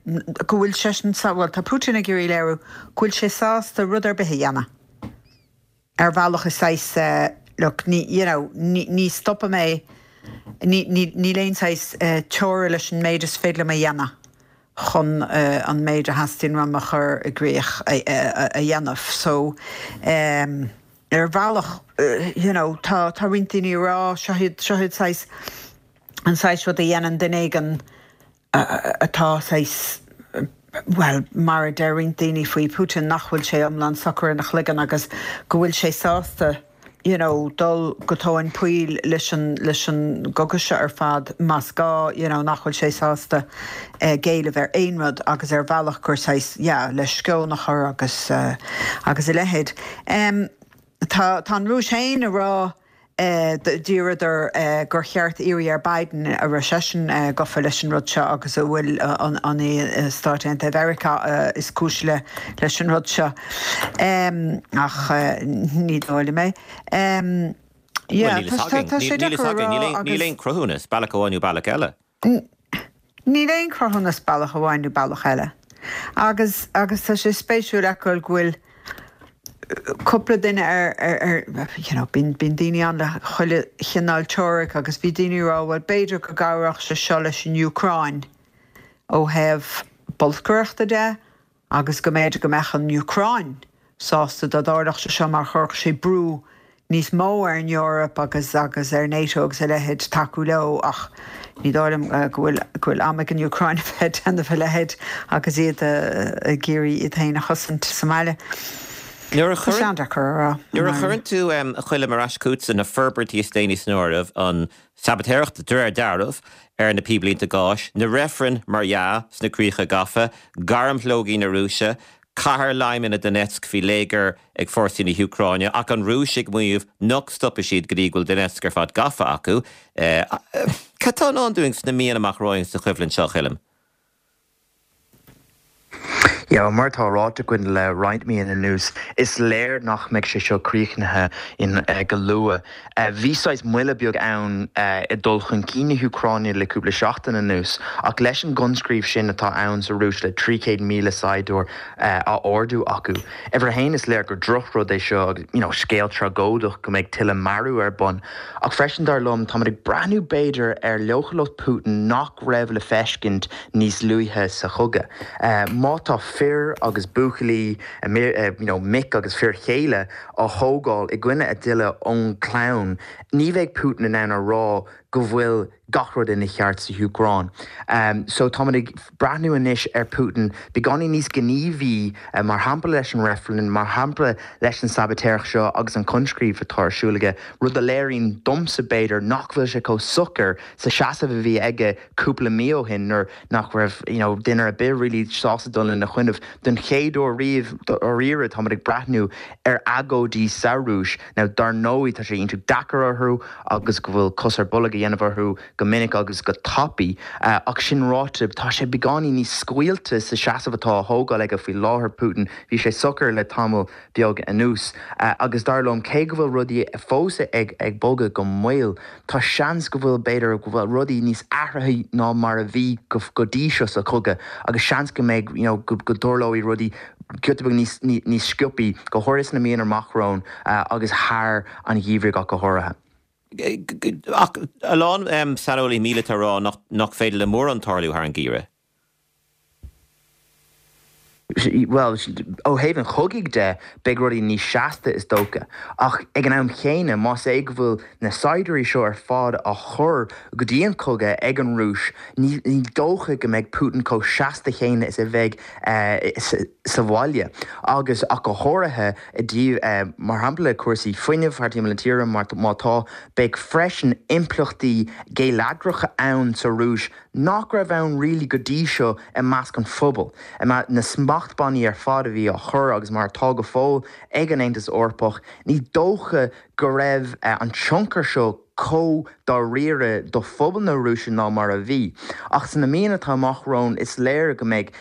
S6: go bhfuil seisean, bhuel, tá Putin ag iarraidh a léiriú go bhfuil sé sásta rud ar bith a dhéanamh. Ar bhealach is saghas look, ní, you know, ní, ní stopfaidh mé, ní, ní, níl aon saghas teora leis an méid is féidir liom a dhéanamh chun an méid a theastaíonn uaim a chur i gcrích a, a dhéanamh. So, ar bhealach, you know, tá, tá roinnt daoine ag rá, seo iad, seo iad saghas, an saghas rud a dhéanann duine éigin atá saghas, bhuel, mar a deir roinnt daoine faoi Putin, nach bhfuil sé iomlán socair ina chloigeann agus go bhfuil sé sásta you know dul go tóin poill leis an, leis an gcogadh seo ar fad más gá, you know, nach bhfuil sé sásta géilleadh ar aon rud agus ar bhealach gur saghas, yeah, le sceon a chur agus, agus a leithéid. Tá, tá an Rúis féin ag rá, D'iarradar gur cheart iarraidh ar Biden an raibh seisean gafa leis an rud seo agus an bhfuil an é Stáit Aontaithe Mheiriceá is cúis leis an rud seo. Ach ní dóigh liom
S1: é. Yeah, tá sé deacair a rá agus. Níl aon cruthúnas, bealach amháin nó bealach eile.
S6: Níl aon chruthúnas bealach amháin nó bealach eile. Agus, agus tá sé spéisiúil a fheiceáil go bhfuil cúpla duine ar, ar, ar, you know, bíonn, bíonn daoine ann le chuile chineál teoiric agus bhí daoine ag rá bhuel b'fhéidir go gcabhródh sé seo leis an Úcráin ó thaobh bolscaireachta de agus go mb'fhéidir go mbeadh an Úcráin sásta dá dtarlódh sé seo mar chuirfeadh sé brú níos mó ar an Eoraip agus agus ar NATO agus a leithéid tacú leo ach ní dóigh liom go bhfuil go bhfuil am ag an Úcráin a bheith ag déanamh a leithéid agus iad ag iarraidh iad féin a chosaint sa mbaile.
S1: Nuair a
S6: Tá sé an-deacair a rá.
S1: Nuair a chuireann tú, a Choilm, ar ais chugatsa na forbairtí is déanaí san áireamh, an sabaitéireacht, de réir dealraimh, ar na píblínte gáis, na reifrinn, mar dhea, sna críocha gafa, gairmshlógaí na Rúise, cathair Lyman i Donetsk faoi léigear ag fórsaí na hÚcráine, ach an Rúis ag maíomh nach stopfaidh siad go dtí go bhfuil Donetsk ar fad gafa acu. Cad tá i ndán dúinn sna míonna amach romhainn sa choimhlint seo, a Choilm?
S5: Yeah, mar atá ráite againn le roinnt míonna anuas, is léir nach mbeidh sé seo críochnaithe in go luath. Bhí saghas moille beag ann i dul chun cinn na hÚcráine le cúpla seachtain anuas, ach leis an gcoinscríobh sin atá ann sa Rúis le 300,000 saighdiúir á ardú acu, uimhir a haon is léir gur drochrud é seo agus you know scéal tragóideach go mbeidh tuilleadh marú ar bun. Ach freisin dar liom, táimid ag breathnú b'fhéidir ar leochaileacht Putin nach raibh le feiscint níos luaithe sa chogadh. Má tá fir agus buachaillí, you know mic agus fir chéile á thógáil i gcoinne a dtoile ón gclann, ní bheidh Putin in ann a rá go bhfuil gach rud ina cheart sa hÚcráin. So táimid ag breathnú anois ar Putin beagáinín níos gníomhaí, mar shampla leis an reifreann, mar shampla leis an sabaitéireacht seo agus an coinscríobh atá ar siúl aige, rud a léiríonn domsa b'fhéidir nach bhfuil sé chomh socair sa seasamh a bhí aige cúpla mí ó shin nuair nach raibh you know duine ar bith really sásta dul ina choinnibh. Don chéad uair riamh dáiríre táimid ag breathnú ar agóidí sa Rúis. Now dar ndóigh tá sé iontach deacair orthu agus go bhfuil cos ar bolg a dhéanamh orthu go minic agus go tapaidh ach sin ráite tá sé beagáinín níos scaoilte sa seasamh atá á thógáil aige faoi láthair, Putin. Bhí sé socair le tamall beag anuas agus dar liom cé go bhfuil rudaí fós ag bogadh go mall, Tá seans go bhfuil, b'fhéidir, go bhfuil rudaí níos athraithí ná mar a bhí go dtí seo sa chogadh agus seans go mbeidh, you know, go dtarlóidh rudaí giota beag níos, níos sciobthaí, go háirithe sna míonna amach romhainn agus thar an gheimhreadh ach go háirithe.
S1: Ach a lán saineolaithe míleata ag rá nach féidir le mórán tarlú thar an gheimhreadh.
S5: Bhuel, ó thaobh an chogaidh de, beidh rudaí níos seasta, is dócha. Ach ag an am chéanna, más é go bhfuil na saighdiúirí seo ar fad á chur go dtí an cogadh ag an Rúis, ní dócha go mbeidh Putin chomh seasta chéanna is a bheidh sa bhaile. Agus, ach go háirithe, i dtaobh, mar shampla, cúrsaí fuinnimh thar timpeall na tíre, má tá, beidh freisin impleachtaí geilleagracha ann sa Rúis nach raibh ann really go dtí seo i measc an phobail. Na smachtbhannaí ar fad a bhí á chur, agus mar atá go fóill, ag an Aontas Eorpach, ní dócha go raibh an tionchar seo chomh dáiríre do phobal na Rúise ná mar a bhí. Ach sna míonna atá amach romhainn is léir go mbeidh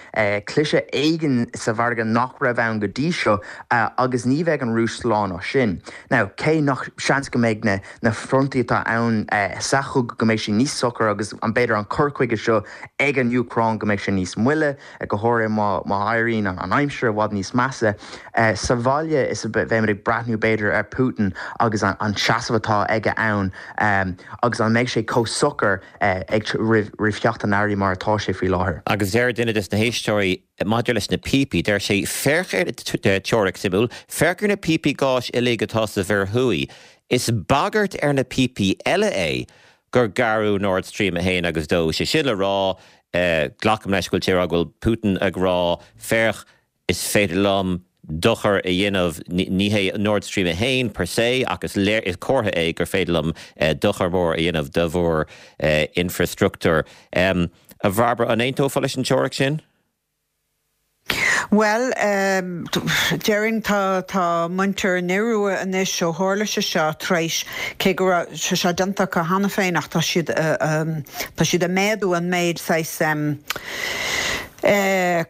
S5: cliseadh éigin sa mhargadh nach raibh ann go dtí seo agus ní bheidh an Rúis slán as sin. Now, cé nach seans go mbeidh na. na frontaí atá ann sa chogadh go mbeidh sé níos socair agus an b'fhéidir an cur chuige seo ag an Úcráin go mbeidh sé níos moille, go háirithe má má éiríonn an aimsir i bhfad níos measa. Sa bhaile is beimid ag breathnú b'fhéidir ar Putin agus an seasamh atá aige ann agus an mbeidh sé chomh socair ag roimh roimh theacht an earraigh mar atá sé faoi láthair.
S1: Agus deir duine des na héisteoirí maidir leis na píopaí, deir sé, féach ar, teoiric suimiúil, féach ar na píopaí gáis uilig atá sa Mhuir Thuaidh. Is bagairt ar na píopaí eile é gur gearradh Nord Stream 1 agus 2, sé sin le rá, glacaim leis go bhfuil sé ag rá go bhfuil Putin ag rá, féach, is féidir liom dochar a dhéanamh, ní hé Nord Stream 1 per se ach is léir, is comhartha é gur féidir liom dochar mór a dhéanamh do bhur infreastruchtúr. A Bhairbre, an aontófá leis an teoiric sin?
S6: Bhuel, déarfainn tá, tá muintir an Iorua anois ó tharla sé seo tar éis, cé go raibh sé seo déanta acu cheana féin ach tá siad, tá siad ag méadú an méid saghas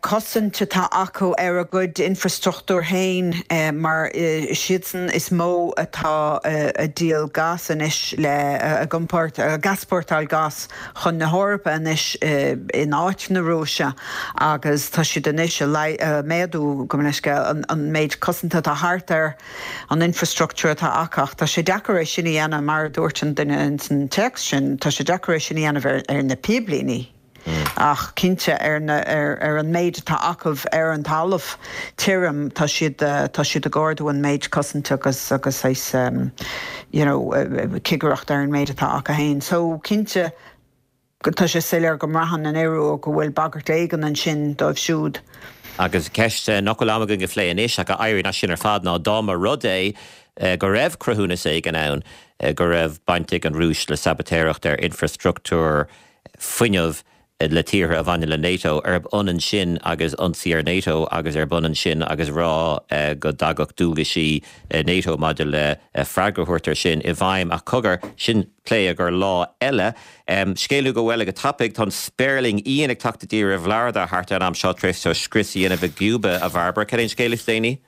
S6: cosaint atá acu ar a gcuid infreastruchtúr féin mar is iadsan is mó atá ag díol gas anois le, ag iompáirt, ag easpórtáil gas chun na hEorpa anois in áit na Rúise agus tá siad anois ag méadú, gabh mo leithscéal, an méid cosanta atá thart ar an infrastructure atá acu ach tá sé deacair é sin a dhéanamh mar a dúirt an duine ins an téacs sin, tá sé deacair é sin a dhéanamh ar na píblíní. Ach cinnte, ar na, ar an méid atá acu ar an talamh tirim, tá siad, tá siad ag ardú an méid cosaint agus, agus saghas, you know, cigireacht ar an méid atá acu féin. So, cinnte, tá sé soiléir go mbraitheann an Iorua go bhfuil bagairt éigin ansin dóibh siúd.
S1: Agus ceist nach bhfuil am againn a phlé anois ach a éiríonn as sin ar fad ná dá mba rud é go raibh cruthúnas éigin ann go raibh baint ag an Rúis le sabaitéireacht ar infreastruchtúr fuinnimh le tíortha a bhaineann le NATO, arb ionann sin agus ionsaí ar NATO agus arb ionann sin agus rá go dtagadh dualgaisí NATO maidir le freagra a thabhairt ar sin i bhfeidhm. Ach cogar, sin plé do lá eile. Scéal nua go bhfuil go tapaidh, tá an spéirling Ian ag teacht i dtír i bhFlorida thart ar an am seo tar éis dó scrios a dhéanamh i gCúba, a Bhairbre. Cad é an scéal is déanaí?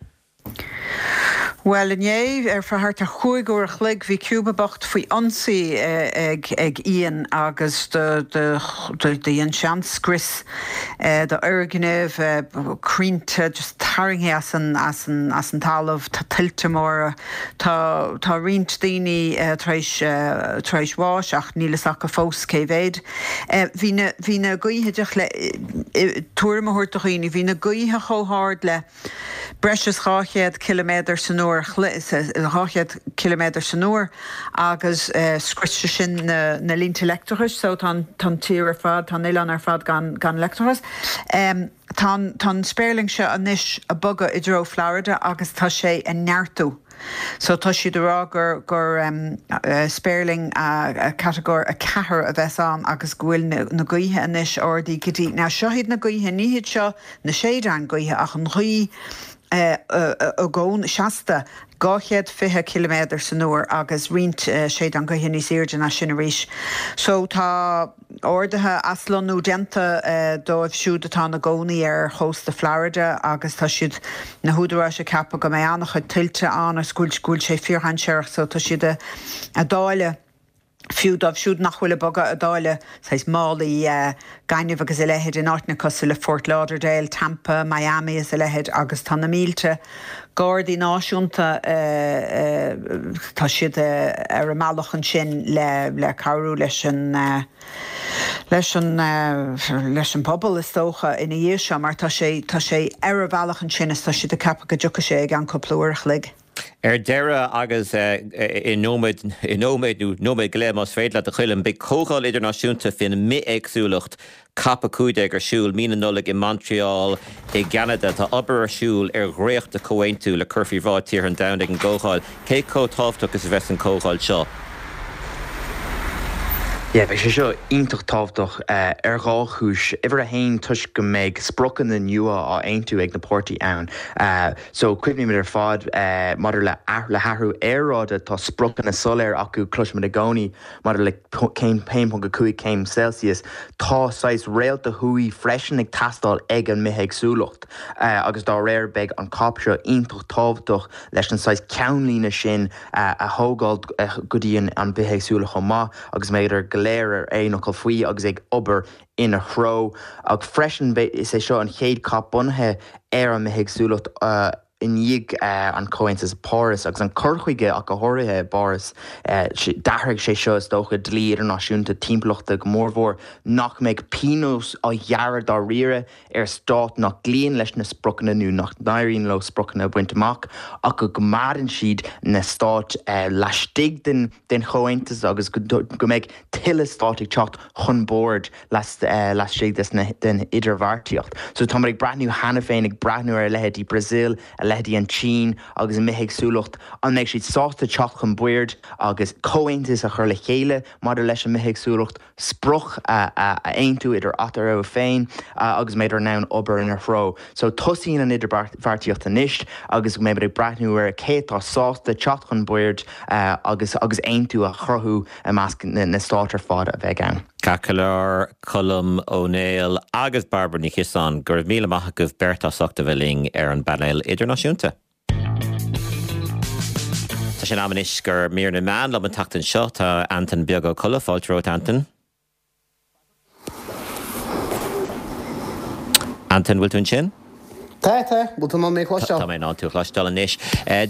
S6: Bhuel, inné, ar feadh thart ar chúig uair a chloig, bhí Cuba bocht faoi ionsaí ag Ian agus do dhein sé an-scrios d'fhoirgnimh, crainnte just tarraingthe as an talamh, tá tuilte móra, tá tá roinnt daoine tar éis tar éis bháis ach níl fhios acu fós cé mhéad. Bhí na bhí na gaoithe, díreach le tuairim a thabhairt do dhaoine, bhí na gaoithe chomh hard le breis is 200 ciliméadar san uair, 200 ciliméadar san uair, agus scrios sé sin na línte leictreachais so tá an tír ar fad, tá an oileán ar fad gan leictreachas. Tá an spéirling seo anois ag bogadh i dtreo Florida agus tá sé ag neartú. So tá siad ag rá gur gur spéirling catagóir 4 a bheas ann agus go bhfuil na gaoithe anois ardaithe go dtí, now seo iad na gaoithe, ní hiad seo na séideáin gaoithe ach an ghaoth i gcónaí, seasta, 220 ciliméadar san uair agus roinnt séideán gaoithe níos airde ná sin arís. So tá orduithe aslonnú déanta dóibh siúd atá ina gcónaí ar chósta Florida agus tá siad, na húdaráis ag ceapadh go mbeidh an-chuid tuilte ann agus go bhfuil sé fíordhainséarach so tá siad ag dáileadh fiú dóibh siúd nach bhfuil ag bogadh ag dáileadh saghas málaí gainimh agus a leithéid in áiteanna cosúil le Fort Lauderdale, Tampa, Miami is a leithéid agus tá na mílte Gardaí Náisiúnta, tá siad ar a mbealach ansin le cabhrú leis an leis an leis an bpobal is dócha ina dhiaidh seo mar tá sé tá sé ar a bhealach ansin is tá siad ag ceapadh go dtiocfaidh sé i gceann cúpla uair a chloig.
S1: Ar deireadh, agus i nóiméad, i nóiméad nó nóiméad go leith más féidir leat a Choilm, beidh comhdháil idirnáisiúnta faoin mbithéagsúlacht Cop 15 ar siúl mí na Nollag i Montreal i gCeanada. Tá obair ar siúl ar dhréacht de chomhaontú le cur faoi bhráid tíortha an domhain ag an gcomhdháil. Cé chomh tábhachtach is a bheas an chomhdháil seo?
S5: Yeah, beidh sé seo iontach tábhachtach ar dhá chúis. Uimhir a haon, toisc go mbeidh spriocanna nua á aontú ag na páirtithe ann. So, cuimhnímid ar fad maidir le le hathrú aeráide, tá spriocanna soiléir acu, cloisimid i gcónaí maidir le céim 1.5 céim Celsius. Tá saghas réalta thuaidh freisin ag teastáil ag an mbithéagsúlacht agus dá réir beidh an cop seo iontach tábhachtach leis an saghas ceannlíne sin a thógáil go dtí an bithéagsúlacht chomh maith agus mbeidh go léir ar aon fhocal faoi agus ag obair ina threo. Ach freisin is é seo an chéad cop bunaithe ar an mbithéagsúlacht i ndiaidh an Chomhaontais Páras agus an cur chuige ach go háirithe i bPáras. D'athraigh sé seo is dócha dlí idirnáisiúnta timpeallachta go mórmhór nach mbeidh pionós á ghearradh dáiríre ar stát nach gcloíonn leis na spriocanna nó nach n-éiríonn leo spriocanna a bhaint amach ach go gcoimeádann siad na stáit laistigh den chomhaontas agus go mbeidh tuilleadh stát ag teacht chun boird laistigh den idirbheartaíocht. So táimid ag breathnú cheana féin, ag breathnú ar a leithéidí Brazil, a leithéidí an tSín agus a mbithéagsúlacht, an mbeidh siad sásta teacht chun boird agus comhaontas a chur le chéile maidir leis an mbithéagsúlacht, sprioc a aontú idir eatarthu féin agus mbeidh in ann obair ina threo. So tosaíonn an idirbheartaíocht anois agus beimid ag breathnú ar cé atá sásta teacht chun boird agus agus aontú a chruthú i measc na stát ar fad a bheidh ann.
S1: Ceart go leor, Colm Ó Néill agus Bairbre Ní Chiosáin, go raibh míle maith agaibh beirt as ucht a bheith linn ar an bpainéal idirnáisiúnta. Tá sé in am anois do mhír na meán liom an tseachtain seo. Tá Antain Beag Ó Colla, fáilte romhat Antain. Antain, bhfuil tú ansin?
S7: Tá, tá. Bhfuil tú in ann mé a chloisteáil?
S1: Tá mé in ann tú a chloisteáil anois.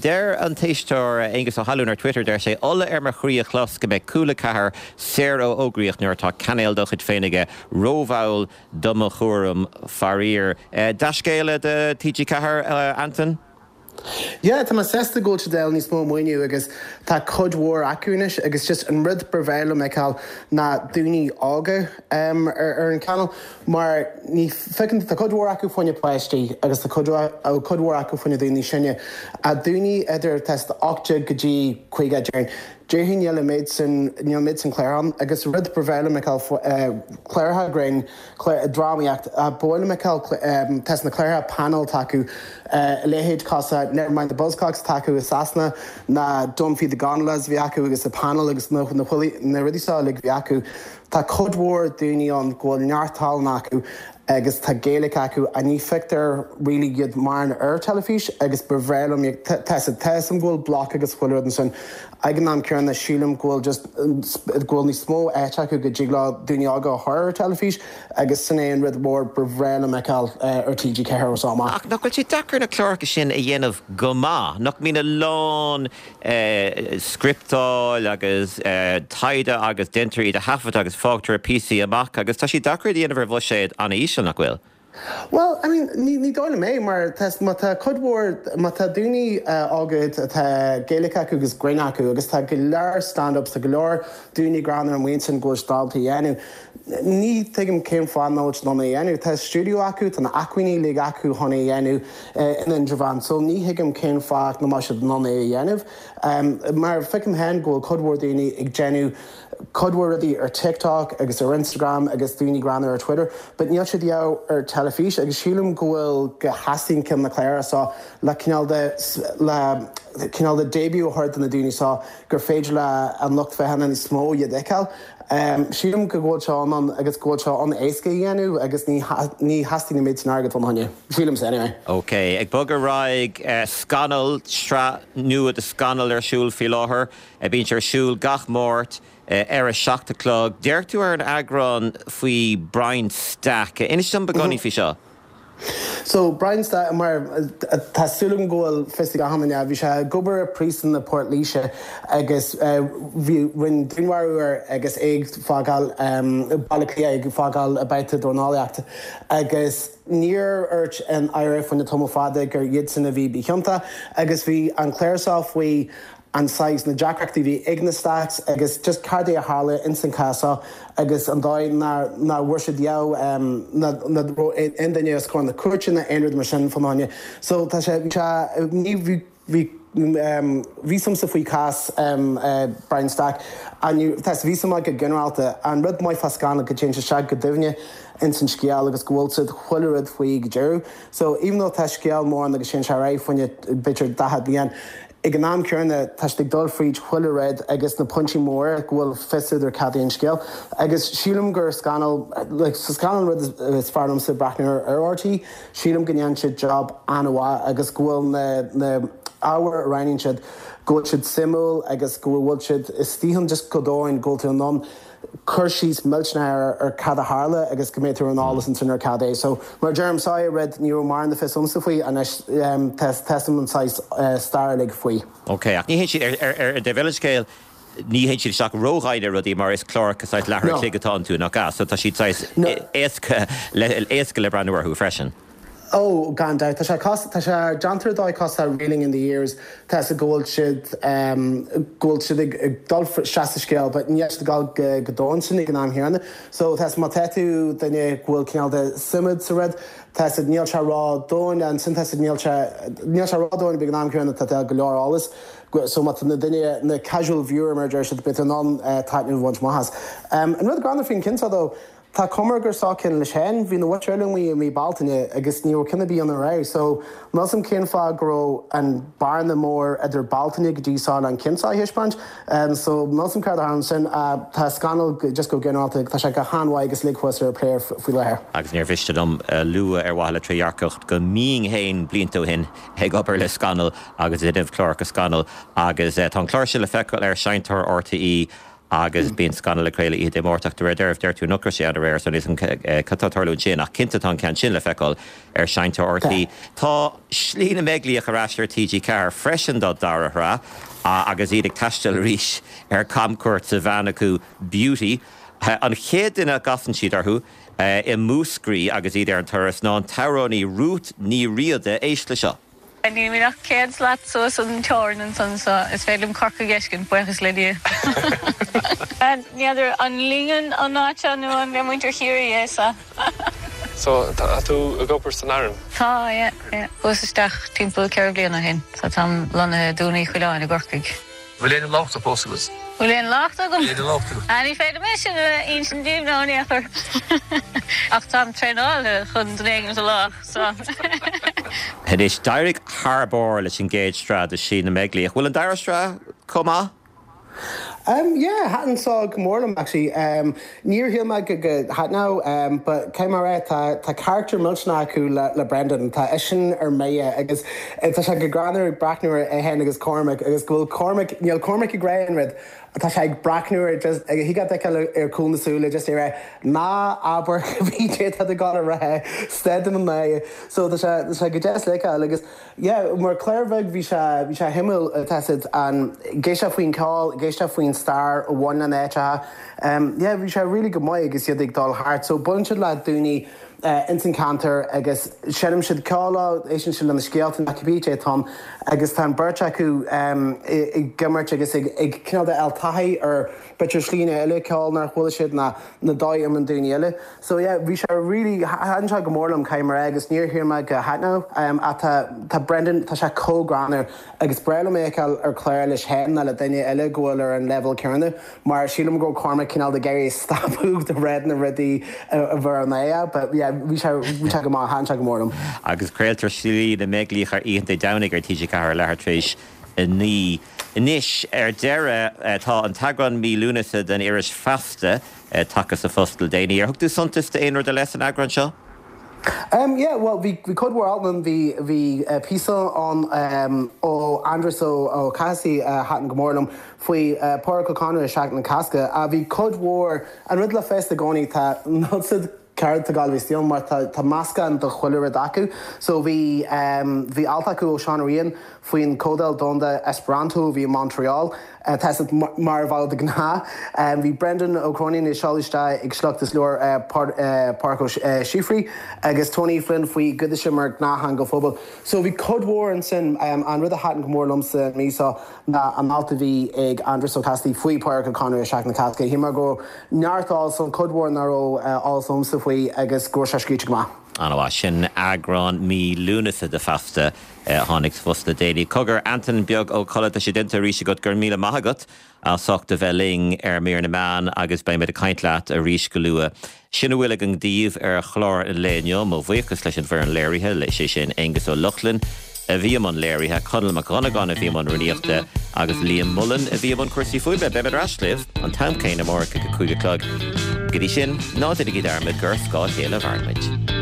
S1: Deir an t-éisteoir Aengus Ó hAlúin ar Twitter, deir sé, Ola ar mo chroí a chlos go mbeidh Cúla 4 saor ó fhógraíocht nuair atá cainéal dá chuid féin aige. Rómhall do mo thuairim, faraor. Dea-scéala do TG4, Antain?
S7: Yeah, tá mé sásta go bhfuil siad ag fáil níos mó maoiniú agus tá cuid mhór acu anois agus just an rud ba bhreá liom a fheiceáil ná daoine óga ar an channel mar ní feiceann, tá cuid mhór acu fá choinne páistí agus tá cuid cuid mhór acu fá choinne daoine sine. Ach daoine idir tá 18 go dtí 50 déarfainn. Déarfainn níl an méid sin, níl an méid sin clár ann agus rud ba bhreá liom a fheiceáil cláracha grinn, drámaíocht, ba mhaith liom a fheiceáil tá na cláracha panel atá acu, a leithéid cosúil Never Mind the Buzzcocks atá acu i Sasana ná Don't Feed the Gondolas a bhí acu agus the panel agus na rudaí seo uilig a bhí acu. Tá cuid mhór daoine ann go bhfuil neart tallann acu agus tá Gaeilge acu ach ní feictear really iad mórán ar teilifís agus ba bhreá liom tá a fhios agam go bhfuil bloc agus chuile rud ansin ag an am céanna sílim go bhfuil just go bhfuil níos mó áit acu go dtig leo daoine óga a chur ar teilifís agus sin é an rud mór ba bhreá liom a fheiceáil ar TG4 ó seo amach.
S1: Ach nach bhfuil sé deacair na cláracha sin a dhéanamh go maith? Nach mbíonn a lán scripteáil agus taighde agus déantar iad a thaifeadadh agus fágtar píosaí amach agus tá sé deacair iad a dhéanamh ar bhuiséad an-íseal, nach bhfuil?
S7: Bhuel, I mean, ní, ní dóigh liom é mar tá, má tá cuid mhór, má tá daoine óga atá Gaeilge acu agus grinn acu agus tá go leor stand-ups, tá go leor daoine greannmhar amuigh ansin go bhfuil siad ábalta a dhéanamh, ní thuigim cén fáth nach bhfuil siad in ann é a dhéanamh. Tá stiúideo acu, tá na acmhainní uilig acu chun é a dhéanamh in Indreabhán so ní thuigim cén fáth nach mbeadh siad in ann é a dhéanamh. Mar feicim féin go bhfuil cuid mhór daoine ag déanamh cuid mhór rudaí ar TikTok agus ar Instagram agus daoine greannmhar ar Twitter but níl siad ar teilifís agus sílim go bhfuil go theastaíonn ceann na cláracha seo le cineál de le cineál de debut a thabhairt do na daoine seo gur féidir le an lucht féachana níos mó iad a fheiceáil. Sílim go bhfuil sé in ann agus go bhfuil sé an-éasca a dhéanamh agus ní ní theastaíonn an méid sin airgid fána choinne. Sílimse anyway.
S1: Ok, ag bogadh ar aghaidh, Scannal, sraith nua de Scannal ar siúl faoi láthair. Bíonn sé ar siúl gach Máirt ar a 7 a chlog. D'amharc tú ar an eagrán faoi Brian Stack. Inis dom beagáinín faoi seo.
S7: So, Brian Stack, mar tá súil agam go bhfuil fios ag achan duine, bhí sé ag obair i bpríosún i Port Laoise agus bhí, rinneadh dúnmharú air agus é ag fágáil Baile Átha Cliath, ag fágáil babhta dornálaíochta agus níor dhúirt an IRA fá choinne tamall fada gur iadsan a bhí ciontach agus bhí an clár seo faoi an saghas, na deacrachtaí a bhí ag na Stacks agus just cad é a tharla ins an cás seo agus an dóigh nár nár bhfuair siad dheabh ná ná raibh aon duine os comhair na cúirte ná aon rud mar sin fána choinne. So tá sé bhí sé ní bhí bhí bhí suim a'msa faoi cás Brian Stack and tá bhí suim agat go ginearálta. An rud maith fá Scannal go dtéann sé isteach go doimhne ins an scéal agus go bhfuil siad chuile rud faoi go deireadh. So even though tá scéal mór ann agus téann sé ar aghaidh fá choinne b'fhéidir 40 bliain, Ag an am céanna, tá siad ag dul fríd chuile rud agus na pointí móra go bhfuil fios údar cad é an scéal. Agus sílim gur Scannal, like, Scannal an rud is fearr liomsa breathnú ar ar RTÉ. Sílim go ndéanann siad job an-mhaith agus go bhfuil na na ábhair a roghnaíonn siad, go bhfuil siad suimiúil agus go bhfuil siad istigh ann just go domhain, go bhfuil tú in ann cur síos millteanach ar cad a tharla agus go mbeidh tú ar an eolas ansin ar cad é. So, mar a deirim, seo é rud ní raibh mórán de fios a'msa faoi, anois tá fhios a'm an saghas stair uilig faoi.
S1: Ok, ach ní théann siad, ar an dtaobh eile den scéal, ní théann siad isteach ródhomhain ar rudaí mar is cláracha saghas leathuair a chloig atá iontu, nach ea? So tá siad saghas éasca éasca le breathnú orthu freisin.
S7: Ó, gan dabht. Tá sé cos, tá sé déanta ar dóigh cosúil le Reeling in the Years, tá fhios agat go bhfuil siad, go bhfuil siad ag ag dul isteach sa scéal but níl siad ag dul go go domhain sin ag an am chéanna. So tá fhios má tá tú duine go bhfuil cineál de suim agat sa rud, tá fhios agat níl sé ró-dhomhain ansin tá fhios agat níl sé, níl sé ró-dhomhain but ag an am chéanna tá tá go leor eolas. So má tá na duine, na casual viewer mar a deir siad, beidh tú in ann taitneamh a bhaint amach as. An rud greannmhar faoin ceann seo though, Tá cuma air gur seo ceann leis féin. Bhí na mhuintir eile amuigh i mí Bealtaine agus ní raibh ceann ar bith ann aréir so níl 's a'm cén fáth go raibh an bearna mór idir Bealtaine go dtí seo le an ceann seo a thaispeáint. So níl 's a'm céard a tharla ansin. Tá Scannal just go ginearálta tá sé go han-mhaith agus uilig thuas ar player faoi láthair.
S1: Agus níor mhiste liom a lua ar mhaithe le trédhearcacht go mbínn féin blianta ó shin ag obair le Scannal agus ag déanamh cláracha Scannal agus tá an clár seo le feiceáil ar Seinnteoir RTÉ Agus bíonn Scannal ag craoladh oíche Dé Máirt ach de réir dealraimh deir tú nach raibh sé ann aréir so níl 's a'm cad tá ag tarlú ansin ach cinnte tá an ceann sin le feiceáil ar Seinnteoir RTÉ. Tá Slí na mBeaglaíoch ar ais ar TG4 freisin dá dara shraith agus iad ag taisteal arís ar camchuairt sa veain acu Beauty. An chéad duine a gcasann siad orthu i Múscraí agus iad ar an turas ná an t-amhránaí Ruth Ní Riada. Éist le seo.
S8: Nílimid ach 100 slat suas an teorainn ansan so is féidir liom Corcaigh a fheiscint, buíochas le Dia. N'fheadar an linn an áit seo nó an le muintir Chiarraí é so.
S9: So tá tú ag obair san Aran?
S8: Tá, yeah, yeah. Chuas isteach timpeall 4 bliana ó shin so táim lonnaithe i Dún Uí Choileáin i gCorcaigh.
S9: Bhfuil aon locht fós agat?
S8: Bhfuil aon locht agam?
S9: Aon locht agat?
S8: Ah, ní féidir liom é sin a insint daoibh now in aon chor. Ach táim traenáilte chun duine éigin a lách, so.
S1: Anois, d'éirigh thar barr leis an gcéad sraith de Shlí na mBeaglaíoch. Bhfuil an dara sraith chomh maith?
S7: Um yeah, thaitin seo go mór liom actually. Um níor shíl mé go go thaitneodh um but caithfidh mé a rá tá tá character millteanach acu le le Brendan, tá eisean ar mire agus tá sé go greannmhar ag breathnú ar é féin agus Cormac agus go bhfuil Cormac, níl Cormac ag rá aon rud, tá sé ag breathnú air just thig leat a fheiceáil ar chúl na súile just ag rá ná abair cibé céard atá tú ag dul a rá, stad de mo náire. So tá sé tá sé go deas le feiceáil agus Yeah, mar chlár bheag bhí sé, bhí sé shuimiúil, tá siad an, ag éisteacht faoin ceol, ag éisteacht faoin stair a bhain lena áiteacha. Yeah, bhí sé really go maith agus iad ag dul thart. So buaileann siad le daoine ins an ceantar agus seinm siad ceol leo, éisteann siad lena scéalta nó cibé cé atá ann agus tá an beirt acu ag imirt agus ag ag cineál de fháil taithí ar b'fhéidir slíne eile ceoil nár chuala siad ná na dóigh a imríonn daoine eile. So yeah, bhí sé really, thaitin sé go mór liom, caithfidh mé a rá, agus níor shíl mé go thaitneodh. Ach tá, tá Brendan, tá sé chomh greannmhar agus breá liom é a fheiceáil ar chlár leis féin ná le duine eile go bhfuil ar an leibhéal céanna mar sílim go raibh Cormac cineál ag iarraidh stopadh de rá na rudaí a bheir an aidhe but yeah, bhí sé, bhí sé go maith, thaitin sé go mór liom.
S1: Agus craoltar Slí na mBeaglaíoch ar oícheanta Dé Domhnaigh ar TG4 ar leathuair tar éis 9. Anois, ar deireadh, tá an t-eagrán mí Lúnasa den iris Feasta tagtha sa phost le déanaí. Ar thug tú suntas d'aon rud ar leith san eagrán seo?
S7: Em, yeah, bhuel, bhí, bhí cuid mhór alt ann, bhí, bhí píosa ann em ó Aindrias Ó, Ó Cathasaigh a thaitin go mór liom faoi Pádraic Ó Conaire i Seachtain na Cásca. Bhí cuid mhór, an rud le Feasta i gcónaí, tá, níl siad, céard tá Gaillimh Steel mar tá tá meascán de chuile rud acu. So bhí em bhí alt acu ó Seán Ó Riain faoin Comhdháil Domhanda Esperanto a bhí i Montreal. Tá siad mar a bheadh de ghnáth. Em bhí Brendan Ó Cróinín ag seoladh isteach ag sliocht as leabhar Pádraic Ó Síofraí agus Tony Flynn faoi Ghiodíse mar ghnáth-theanga phobail. So bhí cuid mhór ansin. An rud a thaitin go mór liomsa an mhí seo ná an alt a bhí ag Aindrias Ó Cathasaigh faoi Pádraic Ó Conaire i Seachtain na Cásca. Shíl mé go raibh neart eolas ann, cuid mhór nach raibh eolas agamsa faoi agus go raibh sé scríte go maith.
S1: An-mhaith. Sin eagrán mí Lúnasa de Feasta a tháinig sa phost le déanaí. Cogar, Antain Beag Ó Colla, tá sé déanta arís agat, go raibh míle maith agat as ucht a bheith linn ar Mír na Meán agus beidh muid ag caint leat arís go luath. Sin a bhfuil againn daoibh ar chlár an lae inniu. Mo bhuíochas leis an bhfoireann léirithe, is é sin Aengus Ó Lochlainn a bhí i mbun léirithe, Conall Mac Dhonnagáin a bhí i mbun rúnaíochta agus Liam Mullen a bhí i mbun cúrsaí fuaime. Beimid ar ais libh an t-am céanna amárach ag a 5 a chlog. Go dtí sin, ná déanaigí dearmad gur ar scáth a chéile a mhaireann muid.